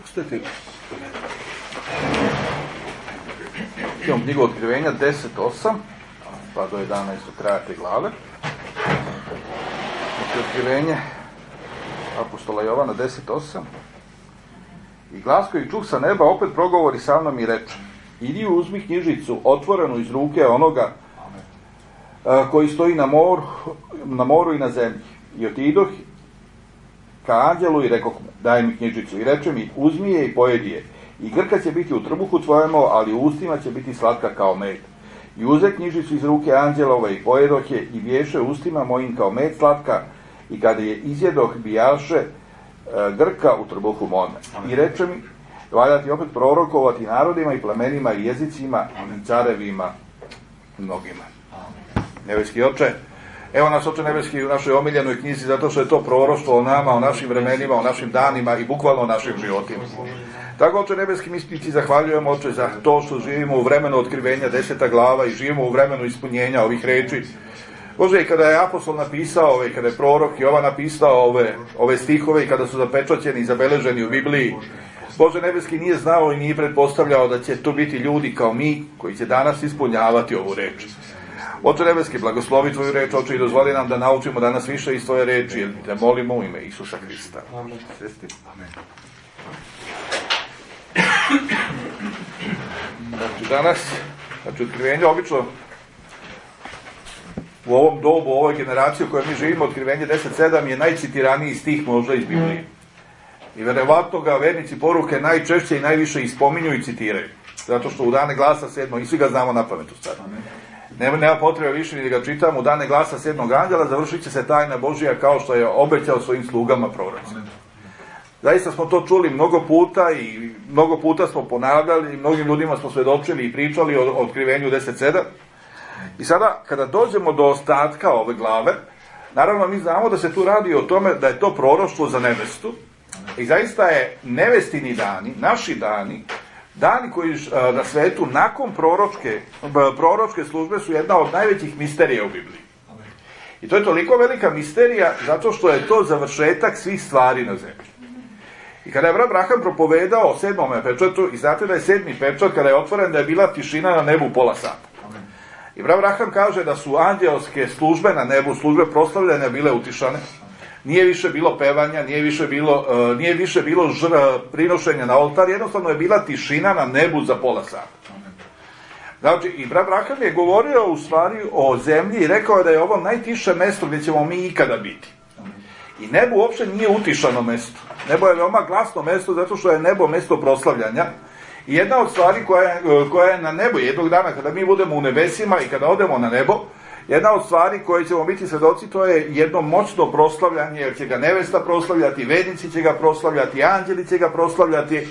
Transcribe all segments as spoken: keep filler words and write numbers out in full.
Pustite. Imamo knjigu Otkrivenja deset osam, pa do jedanaest kraja te glave. Znači, Otkrivenje apostola Jovana deset osam. I glas koji čuh sa neba opet progovori sa mnom i reče: idi uzmi knjižicu otvorenu iz ruke onoga a, koji stoji na moru, na moru i na zemlji. I otidoh ka anđelu i rekoh mu: daj mi knjižicu. I reče mi: uzmi je i pojedi je. I grka će biti u trbuhu tvojemu, ali u ustima će biti slatka kao med. I uze knjižicu iz ruke anđelove i pojedoh je, i bješe ustima mojim kao med slatka, i kada je izjedoh, bijaše e, grka u trbuhu mome. I reče mi: valja ti opet prorokovati narodima i plemenima i jezicima i carevima mnogima. Nebeski Oče, evo nas, Oče nebeski, u našoj omiljenoj knjizi, zato što je to proroštvo o nama, o našim vremenima, o našim danima i bukvalno o našim životima. Tako, Oče nebeski, mi ti zahvaljujemo, Oče, za to što živimo u vremenu otkrivenja deseta glava i živimo u vremenu ispunjenja ovih reči. Bože, i kada je apostol napisao ove, kada je prorok Jovan napisao ove, ove stihove i kada su zapečaćeni i zabeleženi u Bibliji, Bože nebeski nije znao i nije pretpostavljao da će to biti ljudi kao mi koji će danas ispunjavati ovu reč. Oče nebeski, blagoslovi tvoju reč, Oče, i dozvoli nam da naučimo danas više iz tvoje reči, jer te molimo u ime Isusa Hrista. Amen. Amen. Znači, danas, znači, otkrivenje, obično, u ovom dobu, u ovoj generaciji u kojoj mi živimo, otkrivenje deset sedam je najcitiraniji stih možda iz Biblije. I verovatno ga vernici poruke najčešće i najviše ispominju i citiraju. Zato što u dane glasa sedmo, i svi ga znamo na pamet u stvari. Nema, nema potrebe više ni da ga čitamo. U dane glasa sedmog anđela završit će se tajna Božija kao što je obećao svojim slugama prorocima. Zaista smo to čuli mnogo puta i mnogo puta smo ponavljali i mnogim ljudima smo svedočili i pričali o, o otkrivenju deset sedam. I sada, kada dođemo do ostatka ove glave, naravno mi znamo da se tu radi o tome da je to proroštvo za nevestu. I zaista je nevestini dani, naši dani, dani koji na svetu nakon proročke, proročke službe su jedna od najvećih misterija u Bibliji. I to je toliko velika misterija zato što je to završetak svih stvari na zemlji. I kada je Abraham propovedao o sedmome pečatu, i znate da je sedmi pečat, kada je otvoren, da je bila tišina na nebu pola sata. I Abraham kaže da su anđelske službe na nebu, službe proslavljanja bile utišane. Nije više bilo pevanja, nije više bilo, uh, nije više bilo žr, prinošenja na oltar, jednostavno je bila tišina na nebu za pola sata. Znači, i Abraham je govorio u stvari o zemlji i rekao je da je ovo najtiše mesto gdje ćemo mi ikada biti. I nebo uopće nije utišano mesto. Nebo je veoma glasno mesto zato što je nebo mesto proslavljanja. I jedna od stvari koja je, koja je na nebu, jednog dana kada mi budemo u nebesima i kada odemo na nebo, jedna od stvari koje ćemo biti svedoci, to je jedno moćno proslavljanje, jer će ga nevesta proslavljati, vednici će ga proslavljati, anđeli će ga proslavljati,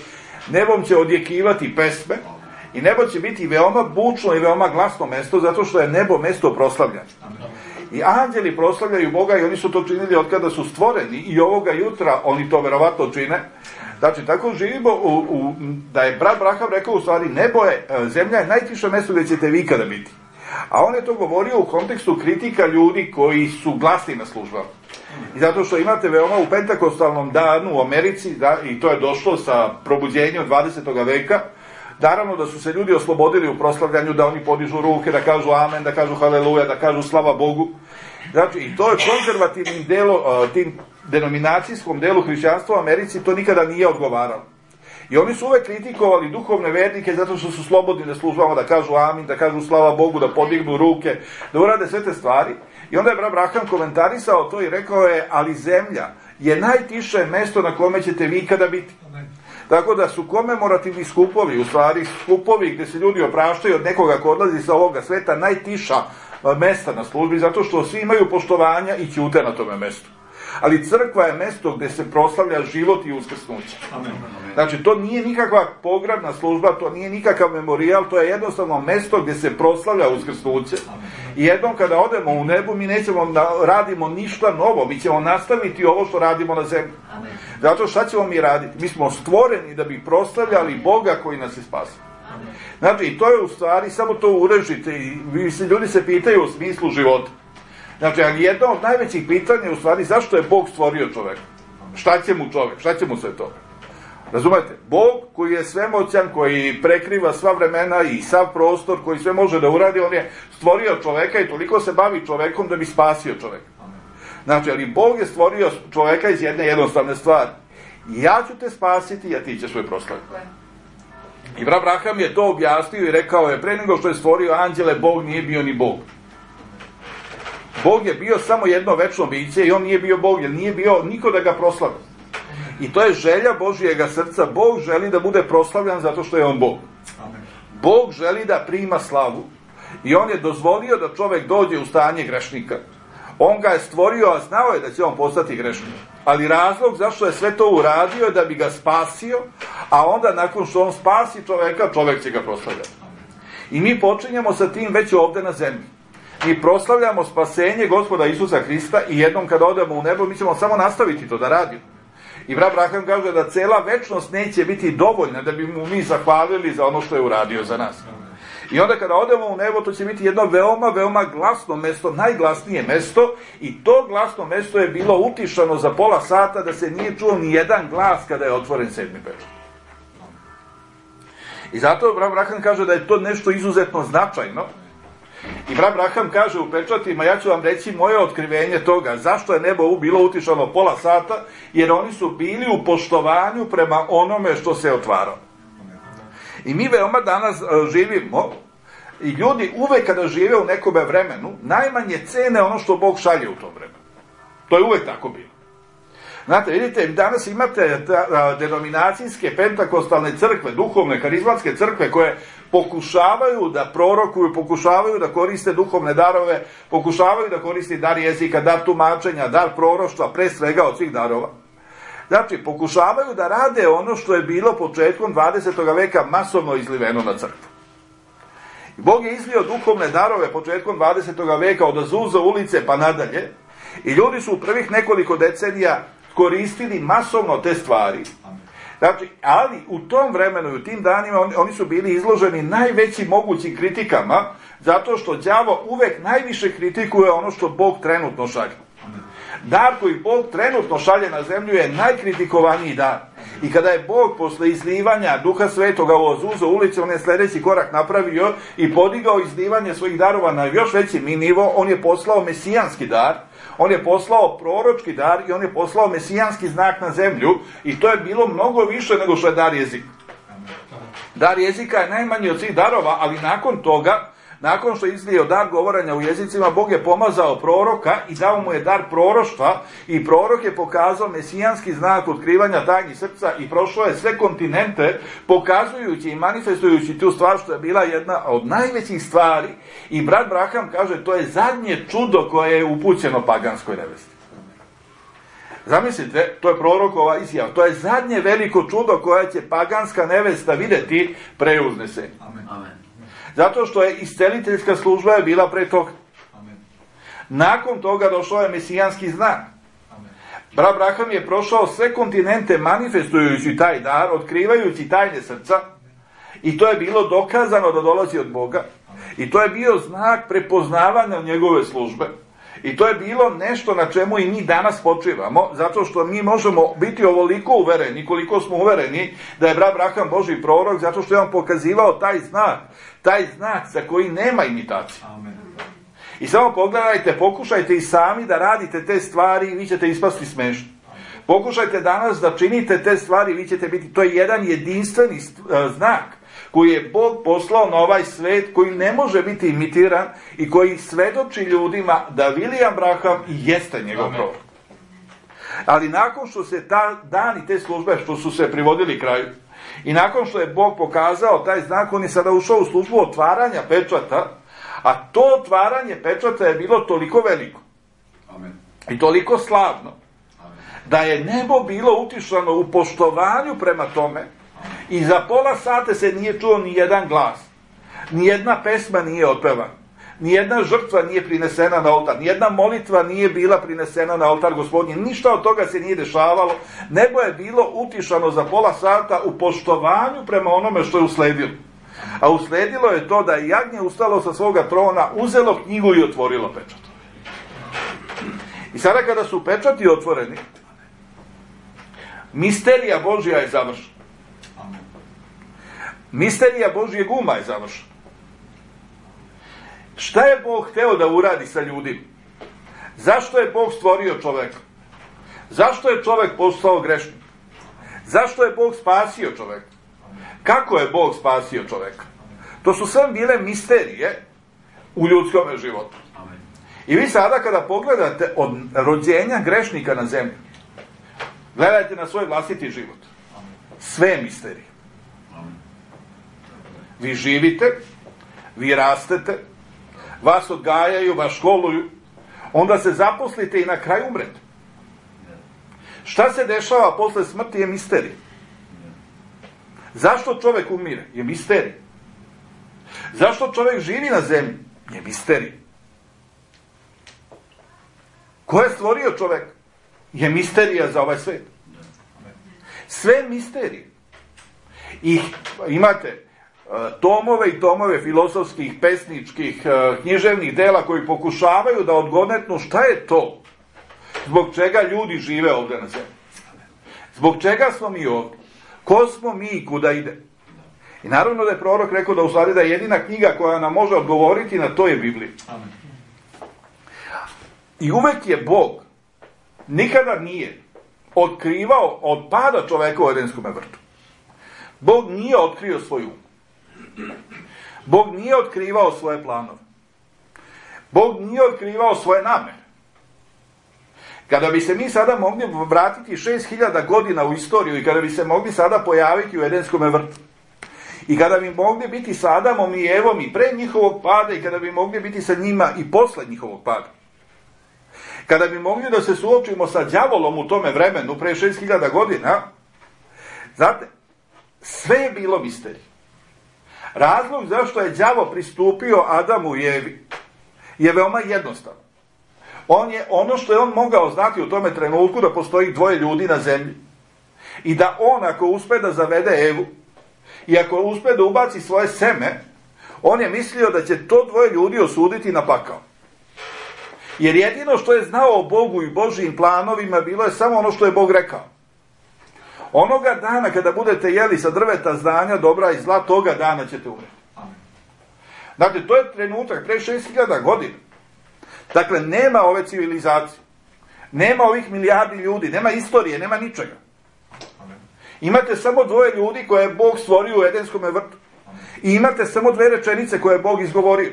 nebom će odjekivati pesme i nebo će biti veoma bučno i veoma glasno mesto, zato što je nebo mesto proslavljanja. I anđeli proslavljaju Boga i oni su to činili od kada su stvoreni i ovoga jutra oni to verovatno čine. Znači, tako živimo, u, u, da je brat Abraham rekao u stvari, nebo je, zemlja je najtiše mesto gdje ćete vi ikada biti. A on je to govorio u kontekstu kritika ljudi koji su glasni na službama. I zato što imate veoma u pentakostalnom danu u Americi, da, i to je došlo sa probuđenjem dvadesetog veka, naravno da su se ljudi oslobodili u proslavljanju, da oni podižu ruke, da kažu amen, da kažu haleluja, da kažu slava Bogu. Znači, i to je konzervativnim delo, tim denominacijskom delu hrišćanstva u Americi, to nikada nije odgovaralo. I oni su uvek kritikovali duhovne vernike zato što su slobodni da službama, da kažu amin, da kažu slava Bogu, da podignu ruke, da urade sve te stvari. I onda je Abraham komentarisao to i rekao je, ali zemlja je najtiše mesto na kome ćete vi ikada biti. Tako da su komemorativni skupovi, u stvari skupovi gdje se ljudi opraštaju od nekoga ko odlazi sa ovoga sveta, najtiša mesta na službi, zato što svi imaju poštovanja i ćute na tome mestu. Ali crkva je mesto gdje se proslavlja život i uskrsnuće. Znači, to nije nikakva pogrebna služba, to nije nikakav memorijal, to je jednostavno mesto gdje se proslavlja uskrsnuće. I jednom kada odemo u nebu, mi nećemo da radimo ništa novo, mi ćemo nastaviti ovo što radimo na zemlji. Zato šta ćemo mi raditi? Mi smo stvoreni da bi proslavljali Boga koji nas je spasio. Znači, i to je u stvari, samo to urežite i ljudi se pitaju u smislu života. Znači, ali jedno od najvećih pitanja je u stvari zašto je Bog stvorio čoveka? Šta će mu čovek? Šta će mu sve to? Razumete? Bog koji je svemoćan, koji prekriva sva vremena i sav prostor, koji sve može da uradi, on je stvorio čoveka i toliko se bavi čovekom da bi spasio čoveka. Znači, ali Bog je stvorio čoveka iz jedne jednostavne stvari. Ja ću te spasiti, a ti ćeš me proslaviti. I Abraham je to objasnio i rekao je, pre nego što je stvorio anđele, Bog nije bio ni Bog. Bog je bio samo jedno večno biće i on nije bio Bog, jer nije bio niko da ga proslavi. I to je želja Božijega srca. Bog želi da bude proslavljan zato što je on Bog. Bog želi da prima slavu i on je dozvolio da čovek dođe u stanje grešnika. On ga je stvorio, a znao je da će on postati grešnik. Ali razlog zašto je sve to uradio je da bi ga spasio, a onda nakon što on spasi čoveka, čovek će ga proslavljati. I mi počinjemo sa tim već ovde na zemlji. Mi proslavljamo spasenje Gospoda Isusa Hrista i jednom kada odemo u nebo, mi ćemo samo nastaviti to da radimo. I Abraham kaže da cela večnost neće biti dovoljna da bi mu mi zahvalili za ono što je uradio za nas. I onda kada odemo u nebo, to će biti jedno veoma, veoma glasno mesto, najglasnije mesto, i to glasno mesto je bilo utišano za pola sata da se nije čuo ni jedan glas kada je otvoren sedmi pečat. I zato Abraham kaže da je to nešto izuzetno značajno. I Abraham kaže u pečatima, ja ću vam reći moje otkrivenje toga, zašto je nebo bilo utišano pola sata, jer oni su bili u poštovanju prema onome što se otvaralo. I mi veoma danas živimo, i ljudi uvek kada žive u nekome vremenu, najmanje cene ono što Bog šalje u tom vremenu. To je uvek tako bilo. Znate, vidite, danas imate denominacijske pentakostalne crkve, duhovne, karizmatske crkve, koje pokušavaju da prorokuju, pokušavaju da koriste duhovne darove, pokušavaju da koriste dar jezika, dar tumačenja, dar proroštva, pre svega od svih darova. Znači, pokušavaju da rade ono što je bilo početkom dvadesetog veka masovno izliveno na crkvu. Bog je izlio duhovne darove početkom dvadesetog veka od Azuza ulice pa nadalje, i ljudi su u prvih nekoliko decenija koristili masovno te stvari. Znači, ali u tom vremenu i u tim danima oni, oni su bili izloženi najvećim mogućim kritikama, zato što đavo uvek najviše kritikuje ono što Bog trenutno šalje. Dar koji Bog trenutno šalje na zemlju je najkritikovaniji dar. I kada je Bog posle izlivanja Duha Svetoga u Azuza ulici, on je sledeći korak napravio i podigao izlivanje svojih darova na još veći nivo. On je poslao mesijanski dar, on je poslao proročki dar i on je poslao mesijanski znak na zemlju, i to je bilo mnogo više nego što je dar jezika. Dar jezika je najmanji od svih darova, ali nakon toga, nakon što je izlio dar govorenja u jezicima, Bog je pomazao proroka i dao mu je dar proroštva, i prorok je pokazao mesijanski znak otkrivanja tajni srca i prošao je sve kontinente pokazujući i manifestujući tu stvar, što je bila jedna od najvećih stvari. I brat Abraham kaže, to je zadnje čudo koje je upućeno paganskoj nevesti. Zamislite, to je prorokova izjava, to je zadnje veliko čudo koje će paganska nevesta videti pre uznesenja. Amen. Zato što je isceliteljska služba je bila pre toga. Amen. Nakon toga došao je mesijanski znak. Brat Abraham je prošao sve kontinente manifestujući taj dar, otkrivajući tajne srca, i to je bilo dokazano da dolazi od Boga. I to je bio znak prepoznavanja njegove službe. I to je bilo nešto na čemu i mi danas počivamo, zato što mi možemo biti ovoliko uvereni, koliko smo uvereni da je brat Abraham Božji prorok, zato što je on pokazivao taj znak, taj znak za koji nema imitacije. Amen. I samo pogledajte, pokušajte i sami da radite te stvari i vi ćete ispasti smešni. Pokušajte danas da činite te stvari i vi ćete biti, to je jedan jedinstveni znak koji je Bog poslao na ovaj svet, koji ne može biti imitiran i koji svedoči ljudima da William Branham jeste njegov prorok. Ali nakon što se ta dani te službe, što su se privodili kraju, i nakon što je Bog pokazao taj znak, on je sada ušao u službu otvaranja pečata, a to otvaranje pečata je bilo toliko veliko. Amen. I toliko slavno, amen, da je nebo bilo utišano u poštovanju prema tome. I za pola sata se nije čuo ni jedan glas, ni jedna pesma nije otpevana, ni jedna žrtva nije prinesena na oltar, ni jedna molitva nije bila prinesena na oltar Gospodnji, ništa od toga se nije dešavalo. Nebo je bilo utišano za pola sata u poštovanju prema onome što je usledilo. A usledilo je to da je jagnje ustalo sa svoga trona, uzelo knjigu i otvorilo pečat. I sada kada su pečati otvoreni, misterija Božja je završena. Misterija Božjeg uma je završena. Šta je Bog hteo da uradi sa ljudima? Zašto je Bog stvorio čoveka? Zašto je čovek postao grešnik? Zašto je Bog spasio čoveka? Kako je Bog spasio čoveka? To su sve bile misterije u ljudskom životu. I vi sada kada pogledate od rođenja grešnika na zemlji, gledajte na svoj vlastiti život. Sve je misterije. Vi živite, vi rastete, vas odgajaju, vas školuju, onda se zaposlite i na kraju umrete. Šta se dešava posle smrti je misterija. Zašto čovek umire? Je misterija. Zašto čovek živi na zemlji? Je misterija. Ko je stvorio čovek? Je misterija za ovaj svet. Sve misterije. I imate tomove i tomove filozofskih, pesničkih, književnih dela koji pokušavaju da odgonetnu šta je to zbog čega ljudi žive ovde na zemlji. Zbog čega smo mi ovde? Ko smo mi i kuda ide? I naravno da je prorok rekao da u stvari da je jedina knjiga koja nam može odgovoriti na to je Biblija. I uvek je Bog nikada nije otkrivao od pada čoveka u Edenskom vrtu. Bog nije otkrio svoj um. Bog nije otkrivao svoje planove. Bog nije otkrivao svoje namere. Kada bi se mi sada mogli vratiti šest hiljada godina u istoriju i kada bi se mogli sada pojaviti u Edenskom vrtu i kada bi mogli biti sa Adamom i Evom i pre njihovog pada i kada bi mogli biti sa njima i posle njihovog pada, kada bi mogli da se suočimo sa đavolom u tome vremenu pre šest hiljada godina, znate, sve je bilo misterije. Razlog zašto je đavo pristupio Adamu i Evi je veoma jednostavan. On je, ono što je on mogao znati u tome trenutku da postoji dvoje ljudi na zemlji i da on ako uspe da zavede Evu i ako uspe da ubaci svoje seme, on je mislio da će to dvoje ljudi osuditi na pakao. Jer jedino što je znao o Bogu i Božijim planovima bilo je samo ono što je Bog rekao. Onoga dana kada budete jeli sa drveta znanja dobra i zla, toga dana ćete umreti. Dakle, to je trenutak pre šest hiljada godina. Dakle, nema ove civilizacije. Nema ovih milijardi ljudi, nema istorije, nema ničega. Imate samo dvoje ljudi koje je Bog stvorio u Edenskom vrtu. I imate samo dve rečenice koje je Bog izgovorio.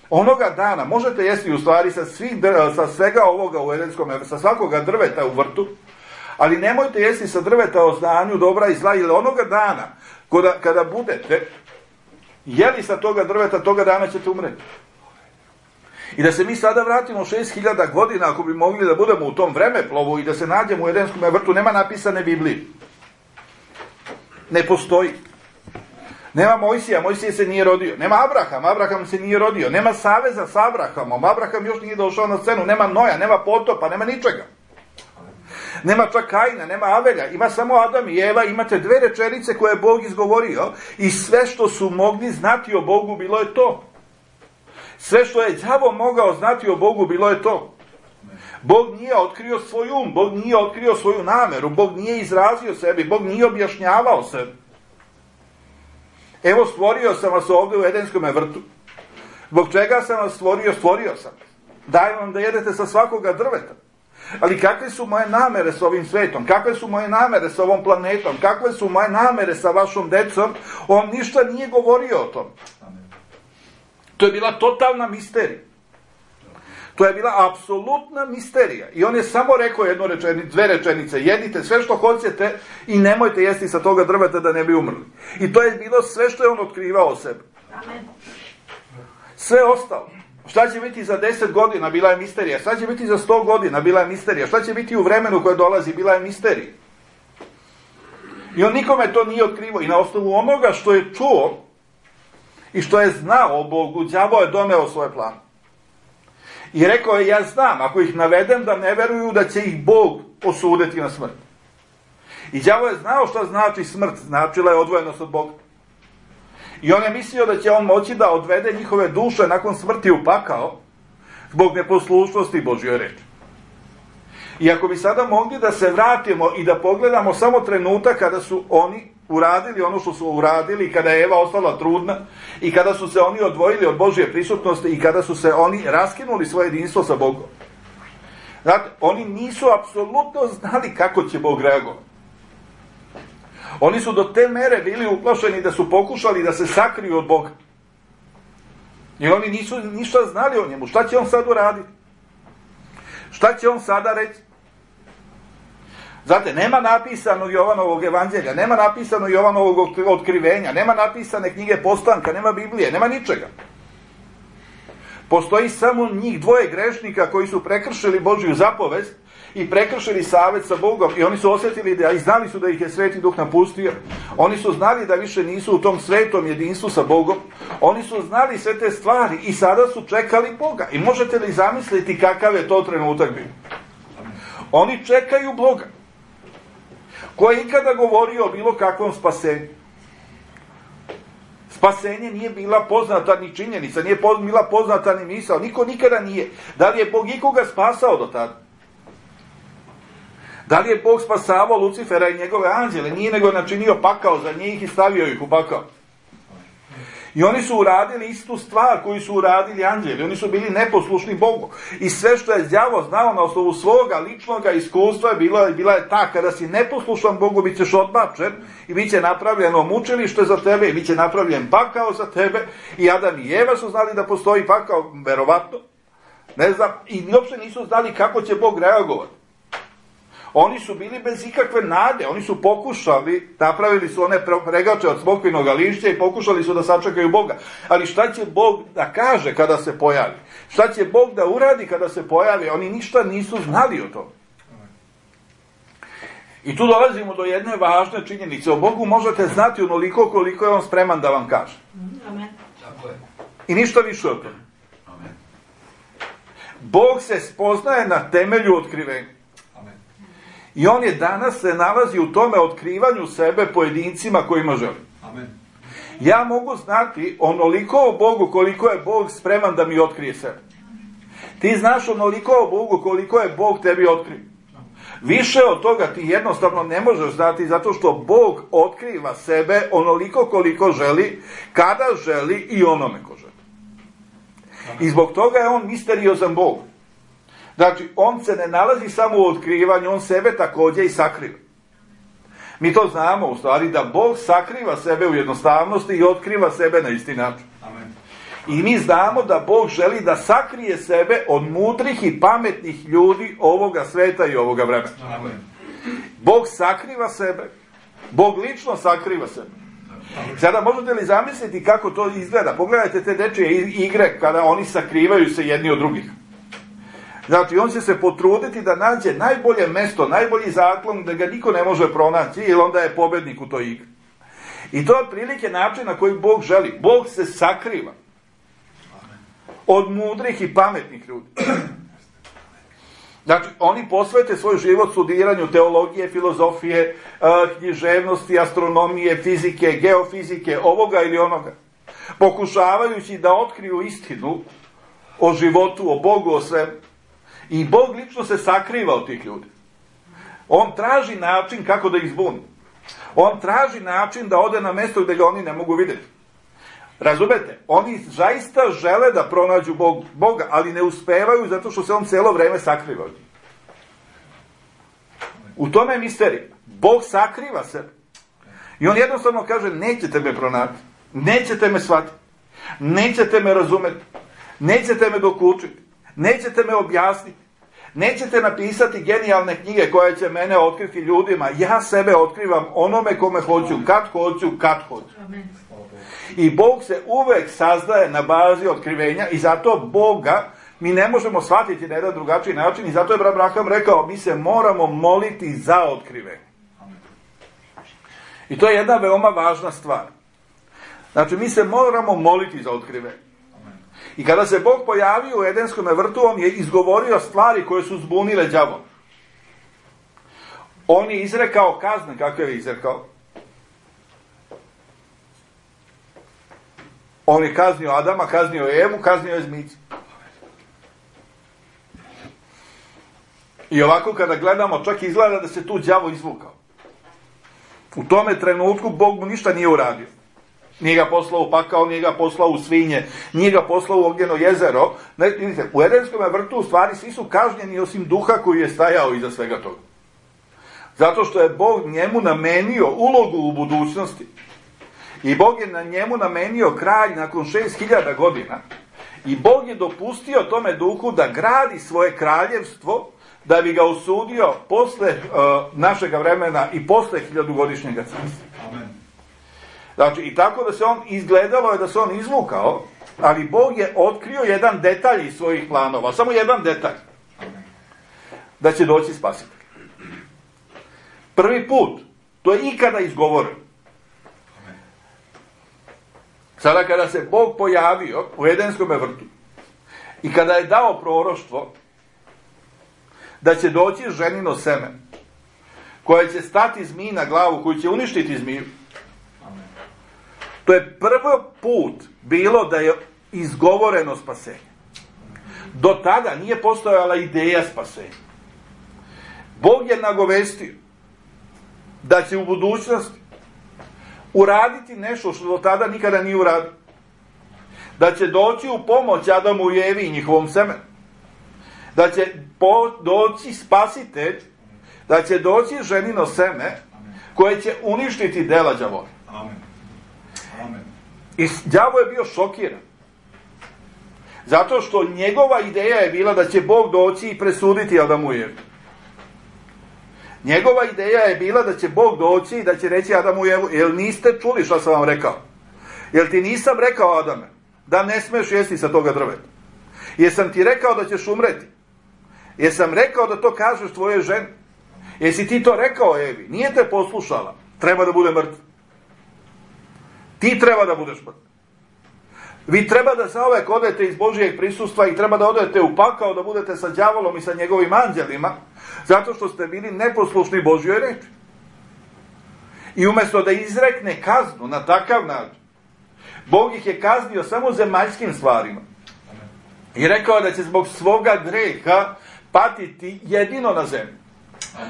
Onoga dana možete jesti u stvari sa, svih, sa svega ovoga u Edenskom vrtu, sa svakoga drveta u vrtu, ali nemojte jesti sa drveta o znanju dobra i zla, ili onoga dana kada, kada budete jeli sa toga drveta, toga dana ćete umreti. I da se mi sada vratimo šest hiljada godina, ako bi mogli da budemo u tom vremeplovu i da se nađemo u Edenskom vrtu, nema napisane Biblije. Ne postoji. Nema Mojsija, Mojsije se nije rodio. Nema Abraham, Abraham se nije rodio. Nema saveza sa Abrahamom, Abraham još nije došao na scenu. Nema Noja, nema potopa, nema ničega. Nema čak Kaina, nema Avelja, ima samo Adam i Eva, imate dve rečenice koje je Bog izgovorio i sve što su mogli znati o Bogu bilo je to. Sve što je đavo mogao znati o Bogu bilo je to. Bog nije otkrio svoj um, Bog nije otkrio svoju nameru, Bog nije izrazio sebi, Bog nije objašnjavao sebi. Evo, stvorio sam vas ovde u Edenskom vrtu. Zbog čega sam vas stvorio? Stvorio sam. Dajem vam da jedete sa svakoga drveta. Ali kakve su moje namere s ovim svetom? Kakve su moje namere s ovom planetom? Kakve su moje namere sa vašom decom? On ništa nije govorio o tom. To je bila totalna misterija. To je bila apsolutna misterija. I on je samo rekao jednu rečenicu, dve rečenice. Jedite sve što hoćete i nemojte jesti sa toga drveta da ne bi umrli. I to je bilo sve što je on otkrivao o sebi. Sve ostalo. Šta će biti za deset godina, bila je misterija. Šta će biti za sto godina, bila je misterija. Šta će biti u vremenu koje dolazi, bila je misterija. I on nikome to nije otkrivao. I na osnovu onoga što je čuo i što je znao o Bogu, đavo je doneo svoje plane. I rekao je, ja znam, ako ih navedem da ne veruju da će ih Bog osuditi na smrt. I đavo je znao šta znači smrt, značila je odvojenost od Boga. I on je mislio da će on moći da odvede njihove duše nakon smrti u pakao zbog neposlušnosti Božjoj reči. I ako bi sada mogli da se vratimo i da pogledamo samo trenutak kada su oni uradili ono što su uradili, kada je Eva ostala trudna i kada su se oni odvojili od Božje prisutnosti i kada su se oni raskinuli svoje jedinstvo sa Bogom. Znate, oni nisu apsolutno znali kako će Bog reagovati. Oni su do te mere bili uplašeni da su pokušali da se sakriju od Boga. Jer oni nisu ništa znali o njemu. Šta će on sad uraditi? Šta će on sada reći? Znate, nema napisano Jovanovog evanđelja, nema napisano Jovanovog otkrivenja, nema napisane knjige Postanka, nema Biblije, nema ničega. Postoji samo njih dvoje grešnika koji su prekršili Božju zapovest i prekršili savet sa Bogom i oni su osjetili da i znali su da ih je Sveti Duh napustio. Oni su znali da više nisu u tom svetom jedinstvu sa Bogom. Oni su znali sve te stvari i sada su čekali Boga. I možete li zamisliti kakav je to trenutak bio? Oni čekaju Boga. Ko je ikada govorio o bilo kakvom spasenju? Spasenje nije bila poznata ni činjenica, nije bila poznata ni misao, niko nikada nije. Da li je Bog ikoga spasao do tada? Da li je Bog spasavao Lucifera i njegove anđele? Nije, nego načinio pakao za njih i stavio ih u pakao. I oni su uradili istu stvar koju su uradili anđeli. Oni su bili neposlušni Bogu. I sve što je đavo znao na osnovu svoga ličnog iskustva bila, bila je ta, kada si neposlušan Bogu, bit ćeš odbačen i bit će napravljeno mučilište za tebe i bit će napravljen pakao za tebe. I Adam i Eva su znali da postoji pakao, verovatno. Ne znam, i uopšte nisu znali kako će Bog reagovati. Oni su bili bez ikakve nade, oni su pokušali, napravili su one pregače od smokvinog lišća i pokušali su da sačekaju Boga. Ali šta će Bog da kaže kada se pojavi? Šta će Bog da uradi kada se pojavi? Oni ništa nisu znali o tome. I tu dolazimo do jedne važne činjenice. O Bogu možete znati onoliko koliko je on spreman da vam kaže. Amen. I ništa više od toga. Bog se spoznaje na temelju otkrivenja. I on je danas se nalazi u tome otkrivanju sebe pojedincima kojima želi. Amen. Ja mogu znati onoliko o Bogu koliko je Bog spreman da mi otkrije sebe. Ti znaš onoliko o Bogu koliko je Bog tebi otkrio. Više od toga ti jednostavno ne možeš znati zato što Bog otkriva sebe onoliko koliko želi, kada želi i onome ko želi. I zbog toga je on misteriozan Bog. Znači, on se ne nalazi samo u otkrivanju, on sebe također i sakriva. Mi to znamo u stvari da Bog sakriva sebe u jednostavnosti i otkriva sebe na isti način. Amen. I mi znamo da Bog želi da sakrije sebe od mudrih i pametnih ljudi ovoga sveta i ovoga vremena. Amen. Bog sakriva sebe. Bog lično sakriva sebe. Sada možete li zamisliti kako to izgleda? Pogledajte te dečije igre kada oni sakrivaju se jedni od drugih. Znači, on će se potruditi da nađe najbolje mesto, najbolji zaklon, da ga niko ne može pronaći, jer onda je pobednik u toj igri. I to je otprilike način na koji Bog želi. Bog se sakriva od mudrih i pametnih ljudi. Znači, oni posvete svoj život studiranju teologije, filozofije, književnosti, astronomije, fizike, geofizike, ovoga ili onoga. Pokušavajući da otkriju istinu o životu, o Bogu, o svemu. I Bog lično se sakriva od tih ljudi. On traži način kako da ih zbuni. On traži način da ode na mjesto gdje ga oni ne mogu vidjeti. Razumete? Oni zaista žele da pronađu Bog, Boga, ali ne uspevaju zato što se on cijelo vrijeme sakriva od njih. U tome je misterija. Bog sakriva sebe. I on jednostavno kaže, nećete me pronaći, nećete me shvatiti, nećete me razumjeti, nećete me dokučiti, nećete me objasniti, nećete napisati genijalne knjige koje će mene otkriti ljudima. Ja sebe otkrivam onome kome hoću, kad hoću, kad hoću. I Bog se uvek sazdaje na bazi otkrivenja i zato Boga mi ne možemo shvatiti na jedan drugačiji način i zato je Abraham rekao, mi se moramo moliti za otkrivenje. I to je jedna veoma važna stvar. Znači, mi se moramo moliti za otkrivenje. I kada se Bog pojavio u Edenskom vrtu, on je izgovorio stvari koje su zbunile đavola. On je izrekao kazne, kako je izrekao. On je kaznio Adama, kaznio Evu, kaznio je zmicu. I ovako kada gledamo, čak izgleda da se tu đavo izvukao. U tome trenutku Bog mu ništa nije uradio. Nije ga poslao u pakao, nije ga poslao u svinje, nije ga poslao u ognjeno jezero. Ne, vidite, u Edenskom vrtu u stvari svi su kažnjeni osim duha koji je stajao iza svega toga. Zato što je Bog njemu namenio ulogu u budućnosti. I Bog je na njemu namenio kralj nakon šest hiljada godina. I Bog je dopustio tome duhu da gradi svoje kraljevstvo, da bi ga osudio posle uh, našega vremena i posle hiljadugodišnjega carstva. Amen. Znači, i tako da se on, izgledalo je da se on izvukao, ali Bog je otkrio jedan detalj iz svojih planova, samo jedan detalj. Da će doći spasitelj. Prvi put, to je ikada izgovoreno. Sada kada se Bog pojavio u Edenskom vrtu i kada je dao proroštvo da će doći ženino seme koje će stati zmiji na glavu, koju će uništiti zmiju. To je prvi put bilo da je izgovoreno spasenje. Do tada nije postojala ideja spasenja. Bog je nagovestio da će u budućnosti uraditi nešto što do tada nikada nije uradio. Da će doći u pomoć Adamu i Evi i njihovom semenu. Da će po, doći spasitelj, da će doći ženino seme koje će uništiti dela đavola. Amen. Amen. I đavo je bio šokiran. Zato što njegova ideja je bila da će Bog doći i presuditi Adamu i Evi. Njegova ideja je bila da će Bog doći i da će reći Adamu i Evu, jel niste čuli što sam vam rekao? Jel ti nisam rekao, Adame, da ne smeš jesti sa toga drveta? Jesam ti rekao da ćeš umreti? Jesam rekao da to kažeš tvoje ženi? Jesi ti to rekao Evi? Nije te poslušala. Treba da bude mrtva. Ti treba da budeš mrtva. Vi treba da zauvek odete iz Božijeg prisustva i treba da odete u pakao, da budete sa đavolom i sa njegovim anđelima, zato što ste bili neposlušni Božjoj reči. I umjesto da izrekne kaznu na takav način, Bog ih je kaznio samo zemaljskim stvarima. I rekao da će zbog svoga greha patiti jedino na zemlji.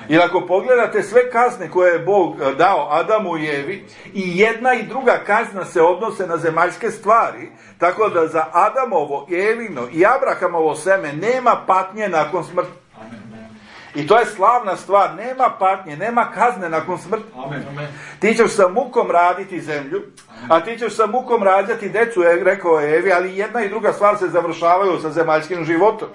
Jer ako pogledate sve kazne koje je Bog dao Adamu i Evi, i jedna i druga kazna se odnose na zemaljske stvari, tako da za Adamovo, Evino i Abrahamovo seme nema patnje nakon smrti. I to je slavna stvar, nema patnje, nema kazne nakon smrti. Ti ćeš sa mukom raditi zemlju, a ti ćeš sa mukom rađati decu, je rekao Evi, ali jedna i druga stvar se završavaju sa zemaljskim životom.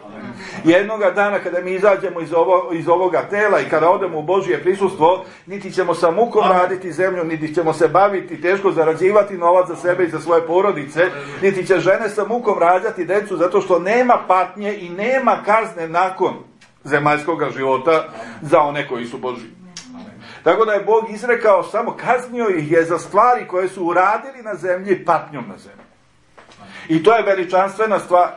Jednoga dana kada mi izađemo iz, ovo, iz ovoga tela i kada odemo u Božje prisustvo, niti ćemo sa mukom raditi zemlju, niti ćemo se baviti, teško zarađivati novac za sebe i za svoje porodice, niti će žene sa mukom rađati decu, zato što nema patnje i nema kazne nakon zemaljskog života za one koji su Božji. Tako da je Bog izrekao, samo kaznio ih je za stvari koje su uradili na zemlji patnjom na zemlji. I to je veličanstvena stvar.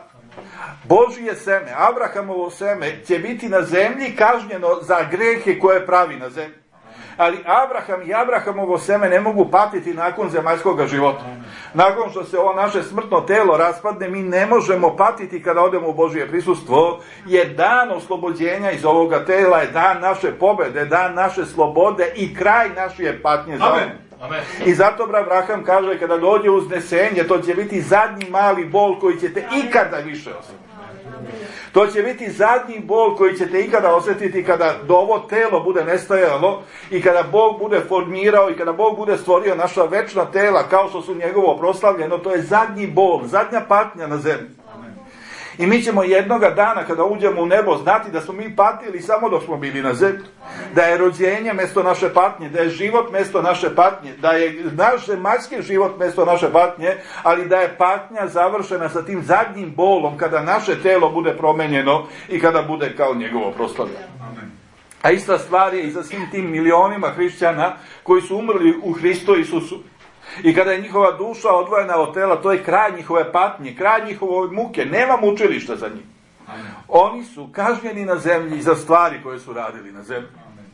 Božje seme, Abrahamovo seme, će biti na zemlji kažnjeno za grehe koje pravi na zemlji. Ali Abraham i Abrahamovo seme ne mogu patiti nakon zemaljskog života. Nakon što se ovo naše smrtno telo raspadne, mi ne možemo patiti kada odemo u Božje prisustvo, jer dan oslobođenja iz ovoga tela je dan naše pobede, dan naše slobode i kraj naše patnje za Amen. Amen. I zato Abraham kaže, kada dođe uznesenje, to će biti zadnji mali bol koji ćete ikada više osjetiti. To će biti zadnji bol koji ćete ikada osjetiti kada do ovo telo bude nestajalo i kada Bog bude formirao i kada Bog bude stvorio naša večna tela kao što su njegovo proslavljeno. To je zadnji bol, zadnja patnja na zemlji. I mi ćemo jednoga dana kada uđemo u nebo znati da smo mi patili samo dok smo bili na zemlji. Da je rođenje mjesto naše patnje, da je život mjesto naše patnje, da je naš zemaljski život mjesto naše patnje, ali da je patnja završena sa tim zadnjim bolom kada naše telo bude promenjeno i kada bude kao njegovo proslavljeno. A ista stvar je i za svim tim milionima hrišćana koji su umrli u Hristu Isusu. I kada je njihova duša odvojena od tela, to je kraj njihove patnje, kraj njihove muke. Nema mučilišta za njih. Amen. Oni su kažnjeni na zemlji za stvari koje su radili na zemlji. Amen.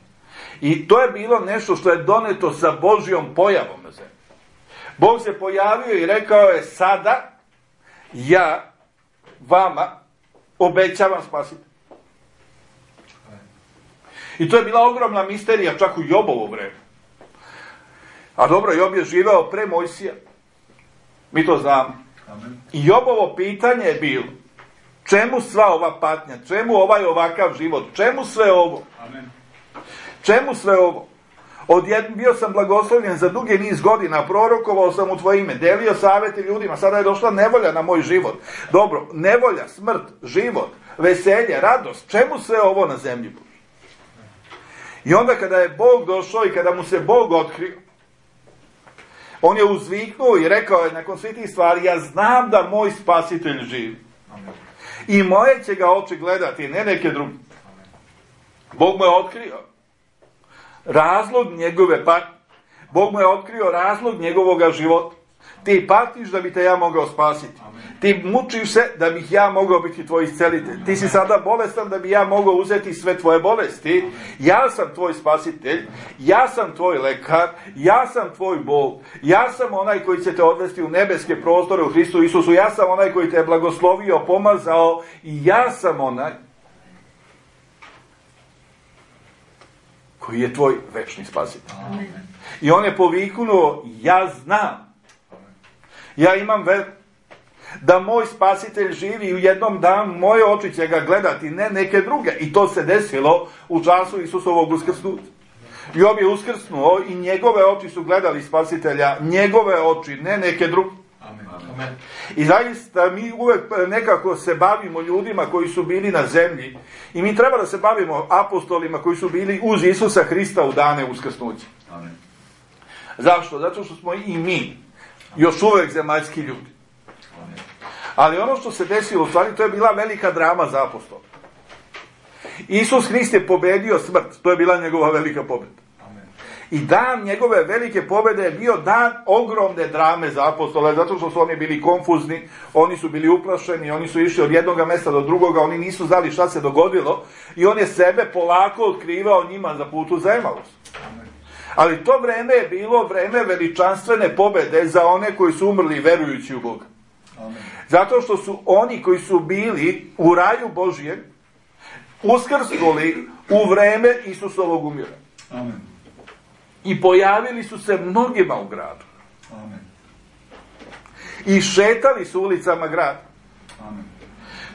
I to je bilo nešto što je doneto sa Božjom pojavom na zemlji. Bog se pojavio i rekao je, sada ja vama obećavam spasiti. I to je bila ogromna misterija čak u Jobovo vreme. A dobro, Job je živeo pre Mojsija. Mi to znamo. Amen. I Jobovo pitanje je bilo, čemu sva ova patnja, čemu ovaj ovakav život, čemu sve ovo? Amen. Čemu sve ovo? Odjednom bio sam blagoslovljen za dugi niz godina, prorokovao sam u tvoje ime, delio savjeti ljudima, sada je došla nevolja na moj život. Dobro, nevolja, smrt, život, veselje, radost, čemu sve ovo na zemlji Božoj? I onda kada je Bog došao i kada mu se Bog otkrio, on je uzviknuo i rekao je nakon svih tih stvari, ja znam da moj spasitelj živi. Amen. I moje će ga oči gledati, ne neke druge. Bog mu je otkrio razlog njegove patnje. Bog mu je otkrio razlog njegovoga života. Ti patiš da bi te ja mogao spasiti. Amen. Ti mučiš se da bih ja mogao biti tvoj iscelitelj. Ti si sada bolestan da bi ja mogao uzeti sve tvoje bolesti. Amen. Ja sam tvoj spasitelj, ja sam tvoj lekar, ja sam tvoj Bog, ja sam onaj koji će te odvesti u nebeske prostore u Hristu Isusu, ja sam onaj koji te je blagoslovio, pomazao i ja sam onaj koji je tvoj večni spasitelj. Amen. I on je poviknuo, ja znam, ja imam veru da moj spasitelj živi i u jednom danu moje oči će ga gledati, ne neke druge. I to se desilo u času Isusovog uskrsnuća. Job je uskrsnuo i njegove oči su gledali spasitelja, njegove oči, ne neke druge. Amen. I zaista mi uvek nekako se bavimo ljudima koji su bili na zemlji i mi treba da se bavimo apostolima koji su bili uz Isusa Hrista u dane uskrsnuća. Amen. Zašto? Zato što smo i mi još uvek zemaljski ljudi. Amen. Ali ono što se desilo, u stvari, to je bila velika drama za apostola. Isus Hrist je pobedio smrt, to je bila njegova velika pobjeda. I dan njegove velike pobjede je bio dan ogromne drame za apostole, zato što su oni bili konfuzni, oni su bili uplašeni, oni su išli od jednog mesta do drugoga, oni nisu znali šta se dogodilo i on je sebe polako otkrivao njima za putu za Emaus. Ali to vreme je bilo vreme veličanstvene pobjede za one koji su umrli verujući u Boga. Zato što su oni koji su bili u raju Božijem uskrsnuli u vreme Isusovog umiranja. Amen. I pojavili su se mnogima u gradu. Amen. I šetali su ulicama grada. Amen.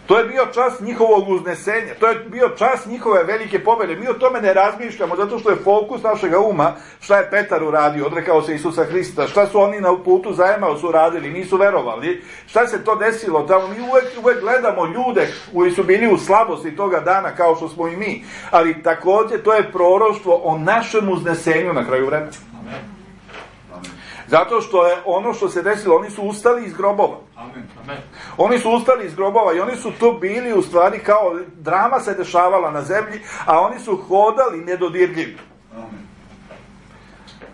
To je bio čas njihovog uznesenja. To je bio čas njihove velike pobjede. Mi o tome ne razmišljamo, zato što je fokus našega uma šta je Petar uradio, odrekao se Isusa Hrista, šta su oni na putu za Emaus uradili, nisu verovali, šta se to desilo tamo. Mi uvek, uvek gledamo ljude koji su bili u slabosti toga dana, kao što smo i mi. Ali također to je proroštvo o našem uznesenju na kraju vremena. Amen. Zato što je ono što se desilo, oni su ustali iz grobova. Amen. Amen. Oni su ustali iz grobova i oni su tu bili u stvari kao drama se dešavala na zemlji, a oni su hodali nedodirljivi. Amen.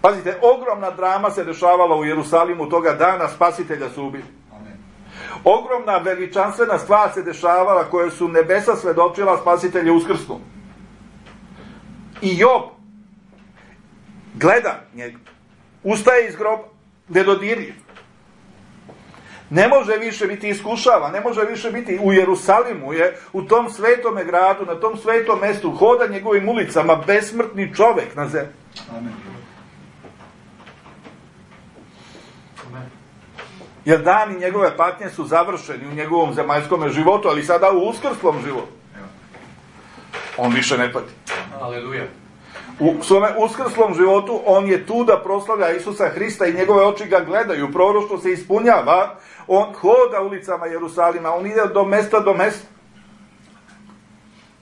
Pazite, ogromna drama se dešavala u Jerusalimu toga dana, spasitelja su ubili. Amen. Ogromna veličanstvena stvar se dešavala koje su nebesa svedočila, spasitelja uskrsnu. I Job gleda njega. Ustaje iz groba, nedodirljiv. Ne može više biti iskušava, ne može više biti u Jerusalimu, je u tom svetome gradu, na tom svetom mestu, hoda njegovim ulicama, besmrtni čovek na zemlji. Amen. Jer dani njegove patnje su završeni u njegovom zemaljskom životu, ali sada u uskrslom životu. On više ne pati. Aleluja. U svome uskrslom životu on je tu da proslavlja Isusa Hrista i njegove oči ga gledaju, proroštvo se ispunjava, on hoda ulicama Jerusalima, on ide do mesta do mesta.